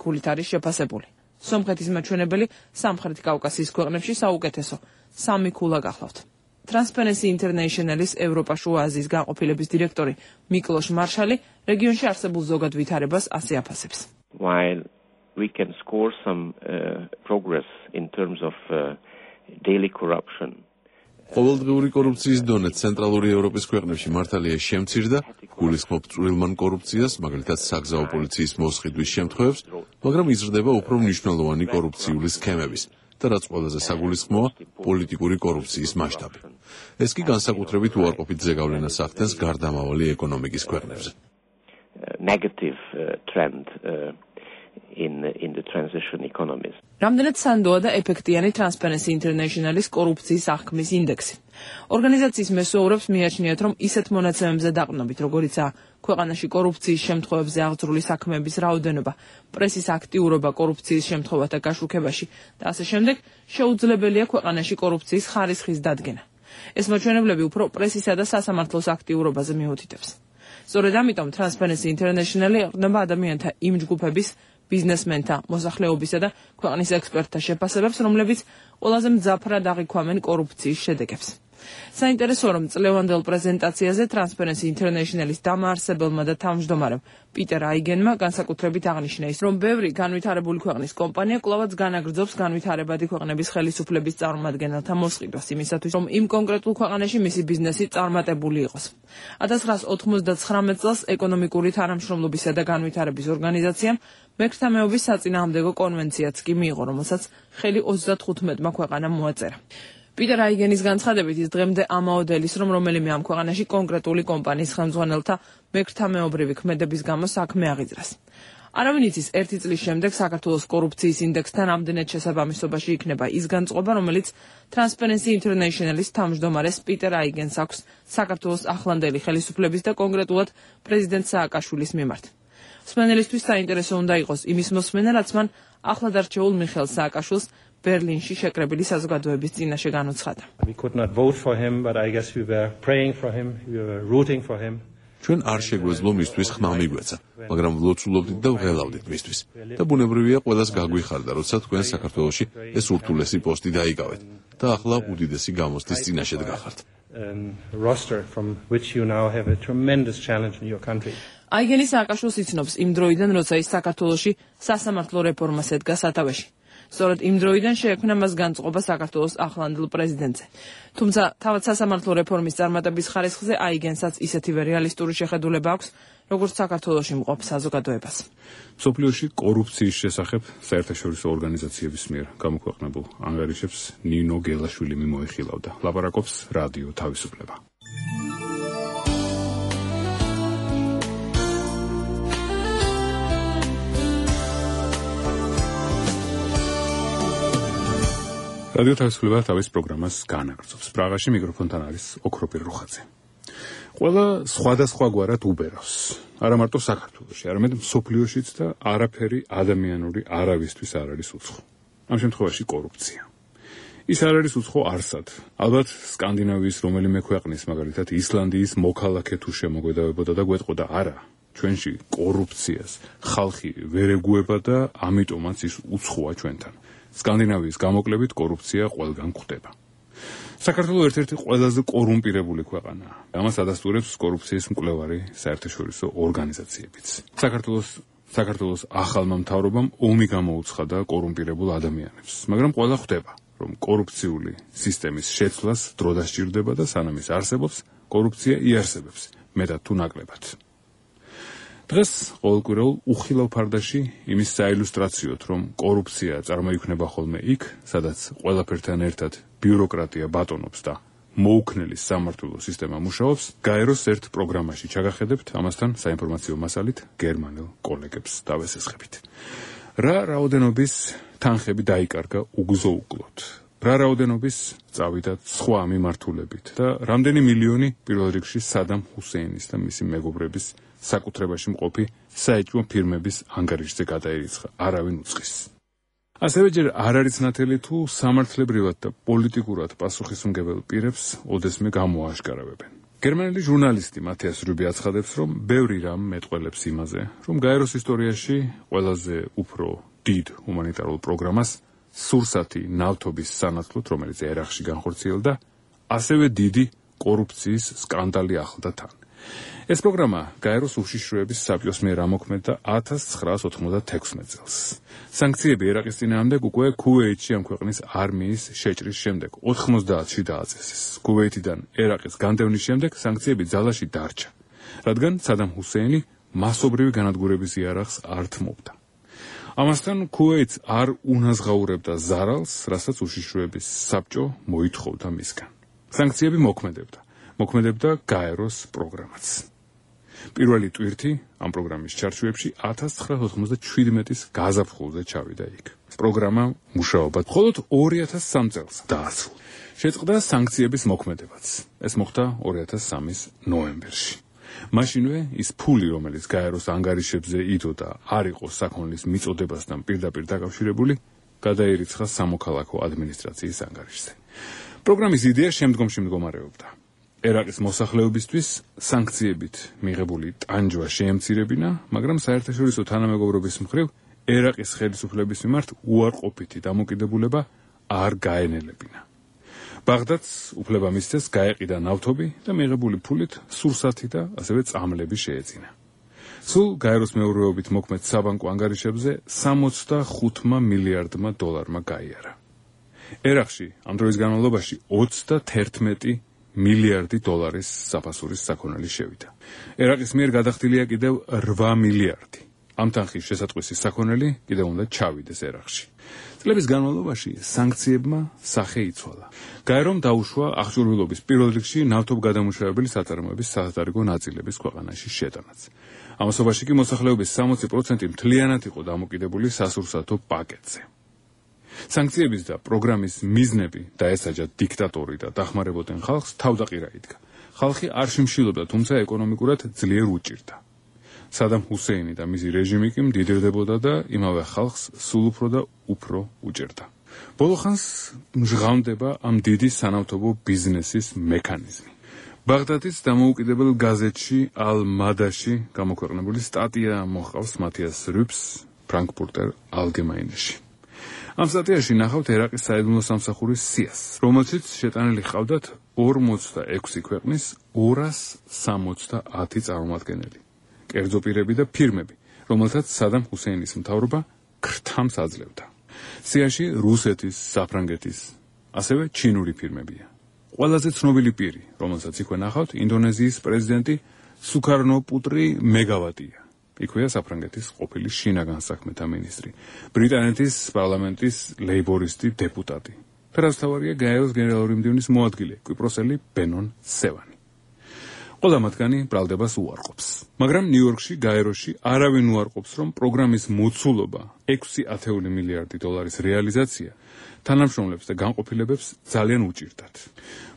ქულით არის შეფასებული. სომხეთის მაჩვენებელი სამხრეთ კავკასიის ქვეყნებში საუკეთესო სამი ქულა გახლავთ. Transparency International-ის ევროპა შუა აზიის განყოფილების დირექტორი მიკლოშ მარშალი რეგიონში არსებულ ზოგად ვითარებას ასე აფასებს. While we can score some uh, progress in terms of uh, daily corruption. ყოველდღიური კორუფციის დონე ცენტრალური ევროპის ქვეყნებში მართალია შემცირდა, გულისხმობ წვრილმან კორუფციას, მაგალითად საგზაო პოლიციის მოსყიდვის შემთხვევებს, მაგრამ იზრდება უფრო მნიშვნელოვანი კორუფციული სქემების და რაც ყველაზე საგულისხმოა, პოლიტიკური კორუფციის მასშტაბი. ეს კი განსაკუთრებით უარყოფით ზეგავლენას ახდენს გარდამავალი ეკონომიკის ქვეყნებზე. Negative uh, trend uh, in in the transition economies. რამდენად სანდოა და ეფექტიანი Transparency International-ის კორუფციის აღქმის ინდექსი. ორგანიზაციის მესვეურებს მიაჩნიათ, რომ ისეთ მონაცემებზე დაყრდნობით, როგორიცაა ქვეყანაში კორუფციის შემთხვევებზე აღძრული საქმეების რაოდენობა, პრესის აქტიურობა კორუფციის შემთხვევათა გაშუქებაში და ასე შემდეგ, შეუძლებელია ქვეყანაში კორუფციის ხარისხის დადგენა. ეს მაჩვენებლები უფრო პრესისა და სასამართლოს აქტიურობაზე მიუთითებს. სწორედ ამიტომ Transparency International-ი ეყრდნობა ადამიანთა იმ ჯგუფების, ბიზნესმენთა, მოსახლეობისა და ქვეყნის ექსპერტთა შეფასებებს, რომლებიც ყველაზე მძაფრად აღიქვამენ კორუფციის შედეგებს. საინტერესოა, რომ წლევანდელ პრეზენტაციაზე Transparency International-ის დამაარსებელმა და თავმჯდომარემ პიტერ აიგენმა განსაკუთრებით აღნიშნა ის, რომ ბევრი განვითარებული ქვეყნის კომპანია კვლავაც განაგრძობს განვითარებადი ქვეყნების ხელისუფლების წარმომადგენელთა მოსყიდვას იმისათვის, რომ იმ კონკრეტულ ქვეყანაში მისი ბიზნესი წარმატებული იყოს. ათას ცხრაას ოთხმოცდათხრამეტ წელს ეკონომიკური თანამშრომლობისა და განვითარების ორგანიზაციამ მექრთა მეობის საწინააღმდეგო კონვენციაც კი მიიღო, რომელსაც ხელი ოცდათხუთმეტმა ქვეყანამ მოაწერა. პიტერ აიგენის განცხადებით ის დღემდე ამაოდელის, რომ რომელიმე ამ ქვეყანაში კონკრეტული კომპანიის ხელმძღვანელთა მექრთამეობრივი ქმედების გამო საქმე აღიძრას. არავინ იცის ერთი წლის შემდეგ საქართველოს კორუფციის ინდექსთან ამდენად შესაბამისობაში იქნება ის განწყობა, რომელიც Transparency International-ის თავმჯდომარეს პიტერ აიგენს აქვს საქართველოს ახლანდელი ხელისუფლების და კონკრეტულად პრეზიდენტ სააკაშვილის მიმართ. მსმენელისთვის საინტერესო უნდა იყოს იმის მოსმენა, რაც მან ახლად არჩეულ მიხეილ სააკაშვილს ბერლინში შეკრებილი საზოგადოების წინაშე განუცხადა. We could not vote for him, but I guess we were praying for him, we were rooting for him. ჩვენ არ შეგვეძლო მისთვის ხმა მიგვეცა, მაგრამ ვლოცულობდით და ვღელავდით მისთვის. და ბუნებრივია ყველას გაგვიხარდა, როცა თქვენ საქართველოში ეს ურთულესი პოსტი დაიკავეთ და ახლა უდიდესი გამოცდის წინაშე დგახართ. roster from which you now have a tremendous challenge in your country. აიგენი სააკაშვილს იცნობს იმ დროიდან, როცა ის საქართველოში სასამართლო რეფორმას ედგა სათავეში. სწორედ იმ დროიდან შეექმნა მას განწყობა საქართველოს ახლანდელ პრეზიდენტზე. თუმცა თავად სასამართლო რეფორმის წარმატების ხარისხზე აიგენსაც ისეთივე რეალისტური შეხედულება აქვს, როგორც საქართველოში მყოფ საზოგადოებას. მსოფლიოში კორუფციის შესახებ საერთაშორისო ორგანიზაციების მიერ გამოქვეყნებულ ანგარიშებს ნინო გელაშვილი მიმოიხილავდა. ლაპარაკობს რადიო თავისუფლება. რადიო თავისუფლება თავის პროგრამას განაგრძობს. პრაღაში მიკროფონთან არის ოქროპირ რუხაძე. ყველა სხვადასხვაგვარად უბერავს. არა მარტო საქართველოში, არამედ მსოფლიოშიც და არაფერი ადამიანური არავისთვის არ არის უცხო. ამ შემთხვევაში კორუფცია. ის არ არის უცხო არსად. ალბათ სკანდინავიის რომელიმე ქვეყნის, მაგალითად ისლანდიის მოქალაქე თუ შემოგვედავებოდა და გვეტყოდა არა, ჩვენში კორუფციას ხალხი ვერ ეგუება და ამიტომაც ის უცხოა ჩვენთან. სკანდინავიის გამოკლებით კორუფცია ყველგან გვხვდება. საქართველოს ერთ-ერთი ყველაზე კორუმპირებული ქვეყანაა. ამას ადასტურებს კორუფციის მკვლევარი საერთაშორისო ორგანიზაციებიც. საქართველოს საქართველოს ახალმა მთავრობამ ომი გამოუცხადა კორუმპირებულ ადამიანებს, მაგრამ ყველა ხვდება, რომ კორუფციული სისტემის შეცვლას დრო დასჭირდება და სანამ ის არსებობს, კორუფცია იარსებებს, მეტად თუ ნაკლებად. დღეს ყოველკვირეულ უხილავ ფარდაში იმის საილუსტრაციოდ, რომ კორუფცია წარმოიქმნება ხოლმე იქ, სადაც ყველაფერთან ერთად ბიუროკრატია ბატონობს და მოუქნელი სამართლო სისტემა მუშაობს, გაეროს ერთ პროგრამაში ჩაგახედებთ, ამასთან საინფორმაციო მასალით გერმანელ კოლეგებს დავესესხებით. რა რაოდენობის თანხები დაიკარგა უგზო-უკლოდ, რა რაოდენობის წავიდათ სხვა მიმართულებით და რამდენი მილიონი პირველ რიგში სადამ ჰუსეინის და მისი მეგობრების საკუთრებაში მყოფი საეჭვო ფირმების ანგარიშზე გადაერიცხა, არავინ უწყის. ასევე ჯერ არ არის ნათელი თუ სამართლებრივად და პოლიტიკურად პასუხისმგებელ პირებს ოდესმე გამოაშკარავებენ. გერმანელი ჟურნალისტი მათიას რუბი აცხადებს, რომ ბევრი რამ მეტყველებს იმაზე, რომ გაეროს ისტორიაში ყველაზე უფრო დიდ ჰუმანიტარულ პროგრამას სურსათი ნავთობის სანაცვლოდ, რომელიც ერაყში განხორციელდა, ასევე დიდი კორუფციის სკანდალი ახლდა თან. ეს პროგრამა გაეროს უშიშროების საბჭოს მიერ ამოქმედდა ათას ცხრაას ოთხმოცდათექვსმეტ წელს. სანქციები ერაყის წინააღმდეგ უკვე ქუვეითში ამ ქვეყნის არმიის შეჭრის შემდეგ ოთხმოცდაათში დააწესეს. ქუვეითიდან ერაყის განდევნის შემდეგ სანქციები ძალაში დარჩა, რადგან სადამ ჰუსეინი მასობრივი განადგურების იარაღს არ თმობდა. ამასთან ქუვეითს არ უნაზღაურებდა ზარალს, რასაც უშიშროების საბჭო მოითხოვდა მისგან. სანქციები მოქმედებდა. მოქმედებდა გაეროს პროგრამაც. პირველი ტვირთი ამ პროგრამის ჩარჩოებში ათას ცხრაას ოცდაშვიდმეტის გაზაფხულზე ჩავიდა იქ. პროგრამა მუშაობა მხოლოდ ორი ათას სამი წელს დაასრულა. შეწყდა სანქციების მოქმედებაც. ეს მოხდა ორი ათას სამის ნოემბერში. მაშინვე ის ფული, რომელიც გაეროს ანგარიშებზე იდოდა, არ იყო საქონლის მიწოდებასთან პირდაპირ დაკავშირებული, გადაერიცხა სამოქალაქო ადმინისტრაციის ანგარიშზე. პროგრამის იდეა შემდგომში მდგომარეობდა. ერაყის მოსახლეობისთვის სანქციებით მიღებული ტანჯვა შეემცირებინა, მაგრამ საერთაშორისო თანამეგობრობის მხრივ ერაყის ხელისუფლების მიმართ უარყოფითი დამოკიდებულება არ გაენელებინა. ბაღდადს უფლება მისცეს გაეყიდა ნავთობი და მიღებული ფულით სურსათი და ასევე წამლები შეეძინა. სულ გაეროს მეურვეობით მოქმედ საბანკო ანგარიშებზე სამოცდახუთმა მილიარდმა დოლარმა გაიარა. ერაყში ამ დროის განმავლობაში ოცდათერთმეტი მილიარდი დოლარის საფასურის საქონელი შევიდა. ერაყის მიერ გადახდილია კიდევ რვა მილიარდი. ამ თანხის შესატყვისი საქონელი კიდევ უნდა ჩავიდეს ერაყში. წლების განმავლობაში სანქციებმა სახე იცვალა. გაერომ დაუშვა აღჭურვილობის პირველ რიგში ნავთობგადამუშავებელი საწარმოების სათადარიგო ნაწილების ქვეყანაში შეტანაც. ამასობაში კი მოსახლეობის სამოცი პროცენტი მთლიანად იყო დამოკიდებული სასურსათო პაკეტზე. სანქციების და პროგრამის მიზნები დაესაჯა დიქტატორი და დახმარებოდნენ ხალხს თავდაყირა იდგა. ხალხი არ შიმშილობდა, თუმცა ეკონომიკურად ძლიერ უჭირდა. სადამ ჰუსეინი და მისი რეჟიმი კი მდიდრდებოდა და იმავე ხალხს სულ უფრო და უფრო უჭერდა. ბოლო ხანს მჟღავნდება ამ დიდი სანავთობო ბიზნესის მექანიზმი. ბაღდადის დამოუკიდებელ გაზეთში ალ-მადაში გამოქვეყნებული სტატია მოჰყავს მათიას რუბს ფრანკფურტერ ალგემაინეში. ამ სტატიაში ნახავთ ერაყის საიდუმლო სამსახურის სიას, რომელშიც შეტანილი ჰყავდათ ორმოცდაექვსი ქვეყნის ორას სამოცდაათი წარმომადგენელი, კერძო პირები და ფირმები, რომელთაც სადამ ჰუსეინის მთავრობა ქრთამს აძლევდა. სიაში რუსეთის, საფრანგეთის, ასევე ჩინური ფირმებია. ყველაზე ცნობილი პირი, რომელსაც იქვე ნახავთ, ინდონეზიის პრეზიდენტი სუკარნოპუტრი მეგავატია. იქვეა საფრანგეთის ყოფილი შინაგან საქმეთა მინისტრი, ბრიტანეთის პარლამენტის ლეიბორისტი დეპუტატი. ფერაზთავარია გაეროს გენერალური მდივნის მოადგილე, კვიპროსელი ბენონ სევანი. ყველა მათგანი ბრალდებას უარყოფს. მაგრამ ნიუ-იორკში, გაეროში არავინ უარყოფს, რომ პროგრამის მოცულობა ექვსი ათეული მილიარდი დოლარის რეალიზაცია თანამშრომლებს და განყოფილებებს ძალიან უჭირდათ.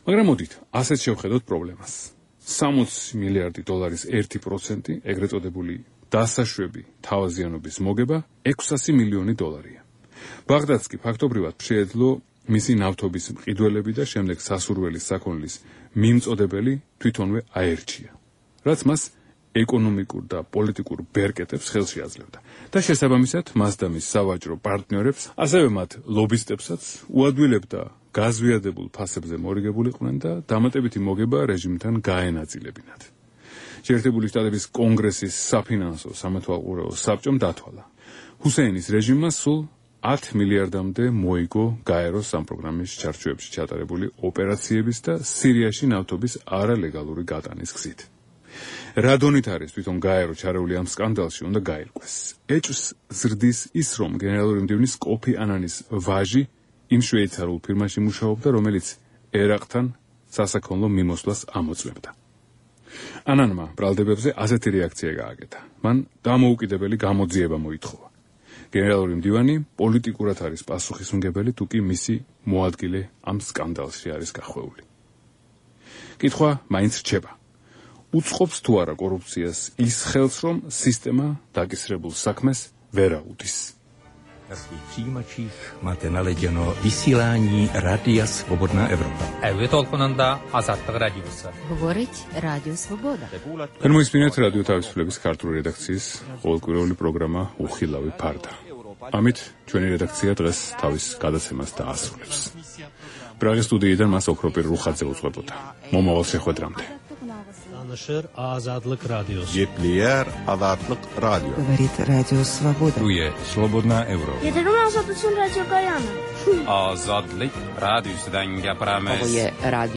მაგრამ მოდით, ასეთ შევხედოთ პრობლემას. სამოცი მილიარდი დოლარის ერთი პროცენტი, ეგრეთ წოდებული დასაშვები თავაზიანობის მოგება ექვსასი მილიონი დოლარია. ბაღდადს კი ფაქტობრივად შეეძლო მისი ნავთობის მყიდველები და შემდეგ სასურველი საქონლის მიმწოდებელი თვითონვე აერჩია, რაც მას ეკონომიკურ და პოლიტიკურ ბერკეტებს ხელში აძლევდა და შესაბამისად მას და მის სავაჭრო პარტნიორებს, ასევე მათ ლობისტებსაც უადვილებდა გაზვიადებულ ფასებზე მორიგებულიყვნენ და დამატებითი მოგება რეჟიმთან გაენაწილებინათ. შეერთებული შტატების კონგრესის საფინანსო სამეთვალყურეო საბჭომ დათვალა. ჰუსეინის რეჟიმმა სულ ათ მილიარდამდე მოიგო გაეროს ამ პროგრამის ჩარჩოებში ჩატარებული ოპერაციების და სირიაში ნავთობის არალეგალური გატანის გზით. რადონით არის თვითონ გაერო ჩარეული ამ სკანდალში უნდა გაირკვეს. ეჭვს ზრდის ის, რომ გენერალური მდივნის კოფი ანანის ვაჟი იმ შვეიცარიულ ფირმაში მუშაობდა, რომელიც ერაყთან სასაქონლო მიმოსვლას ამოწმებდა. ანანმა ბრალდებებზე ასეთი რეაქცია გააკეთა. მან დამოუკიდებელი გამოძიება მოითხოვა. გენერალური მდივანი პოლიტიკურად არის პასუხისმგებელი, თუ კი მისი მოადგილე ამ სკანდალში არის გახვეული. კითხვა მაინც რჩება. უწყობს თუ არა კორუფციას ის ხელს, რომ სისტემა დაკისრებულ საქმეს ვერ აუდის. Na svých přijímačích máte naleděno vysílání Rádia Svobodná Evropa. Әуе толқынында азаттық радиосы. Говорить Радио Свобода. Გამოისმინეთ რადიო თავისუფლების ქართული რედაქციის ყოველკვირეული პროგრამა უხილავი ფარდა. ამით ჩვენი რედაქცია დღეს თავის გადაცემას დაასრულებს. პრაღის სტუდიიდან მას ოქროპირ რუხაძე უძღვებოდა. მომავალ შეხვედრამდე. Анашер Азадлык радиосы. Геплиер Азадлык радио. Говорит Радио Свобода. Дуе Свободная Европа. Это радио Гаяна. Азадлык радиосыдан гапырамыз. Радио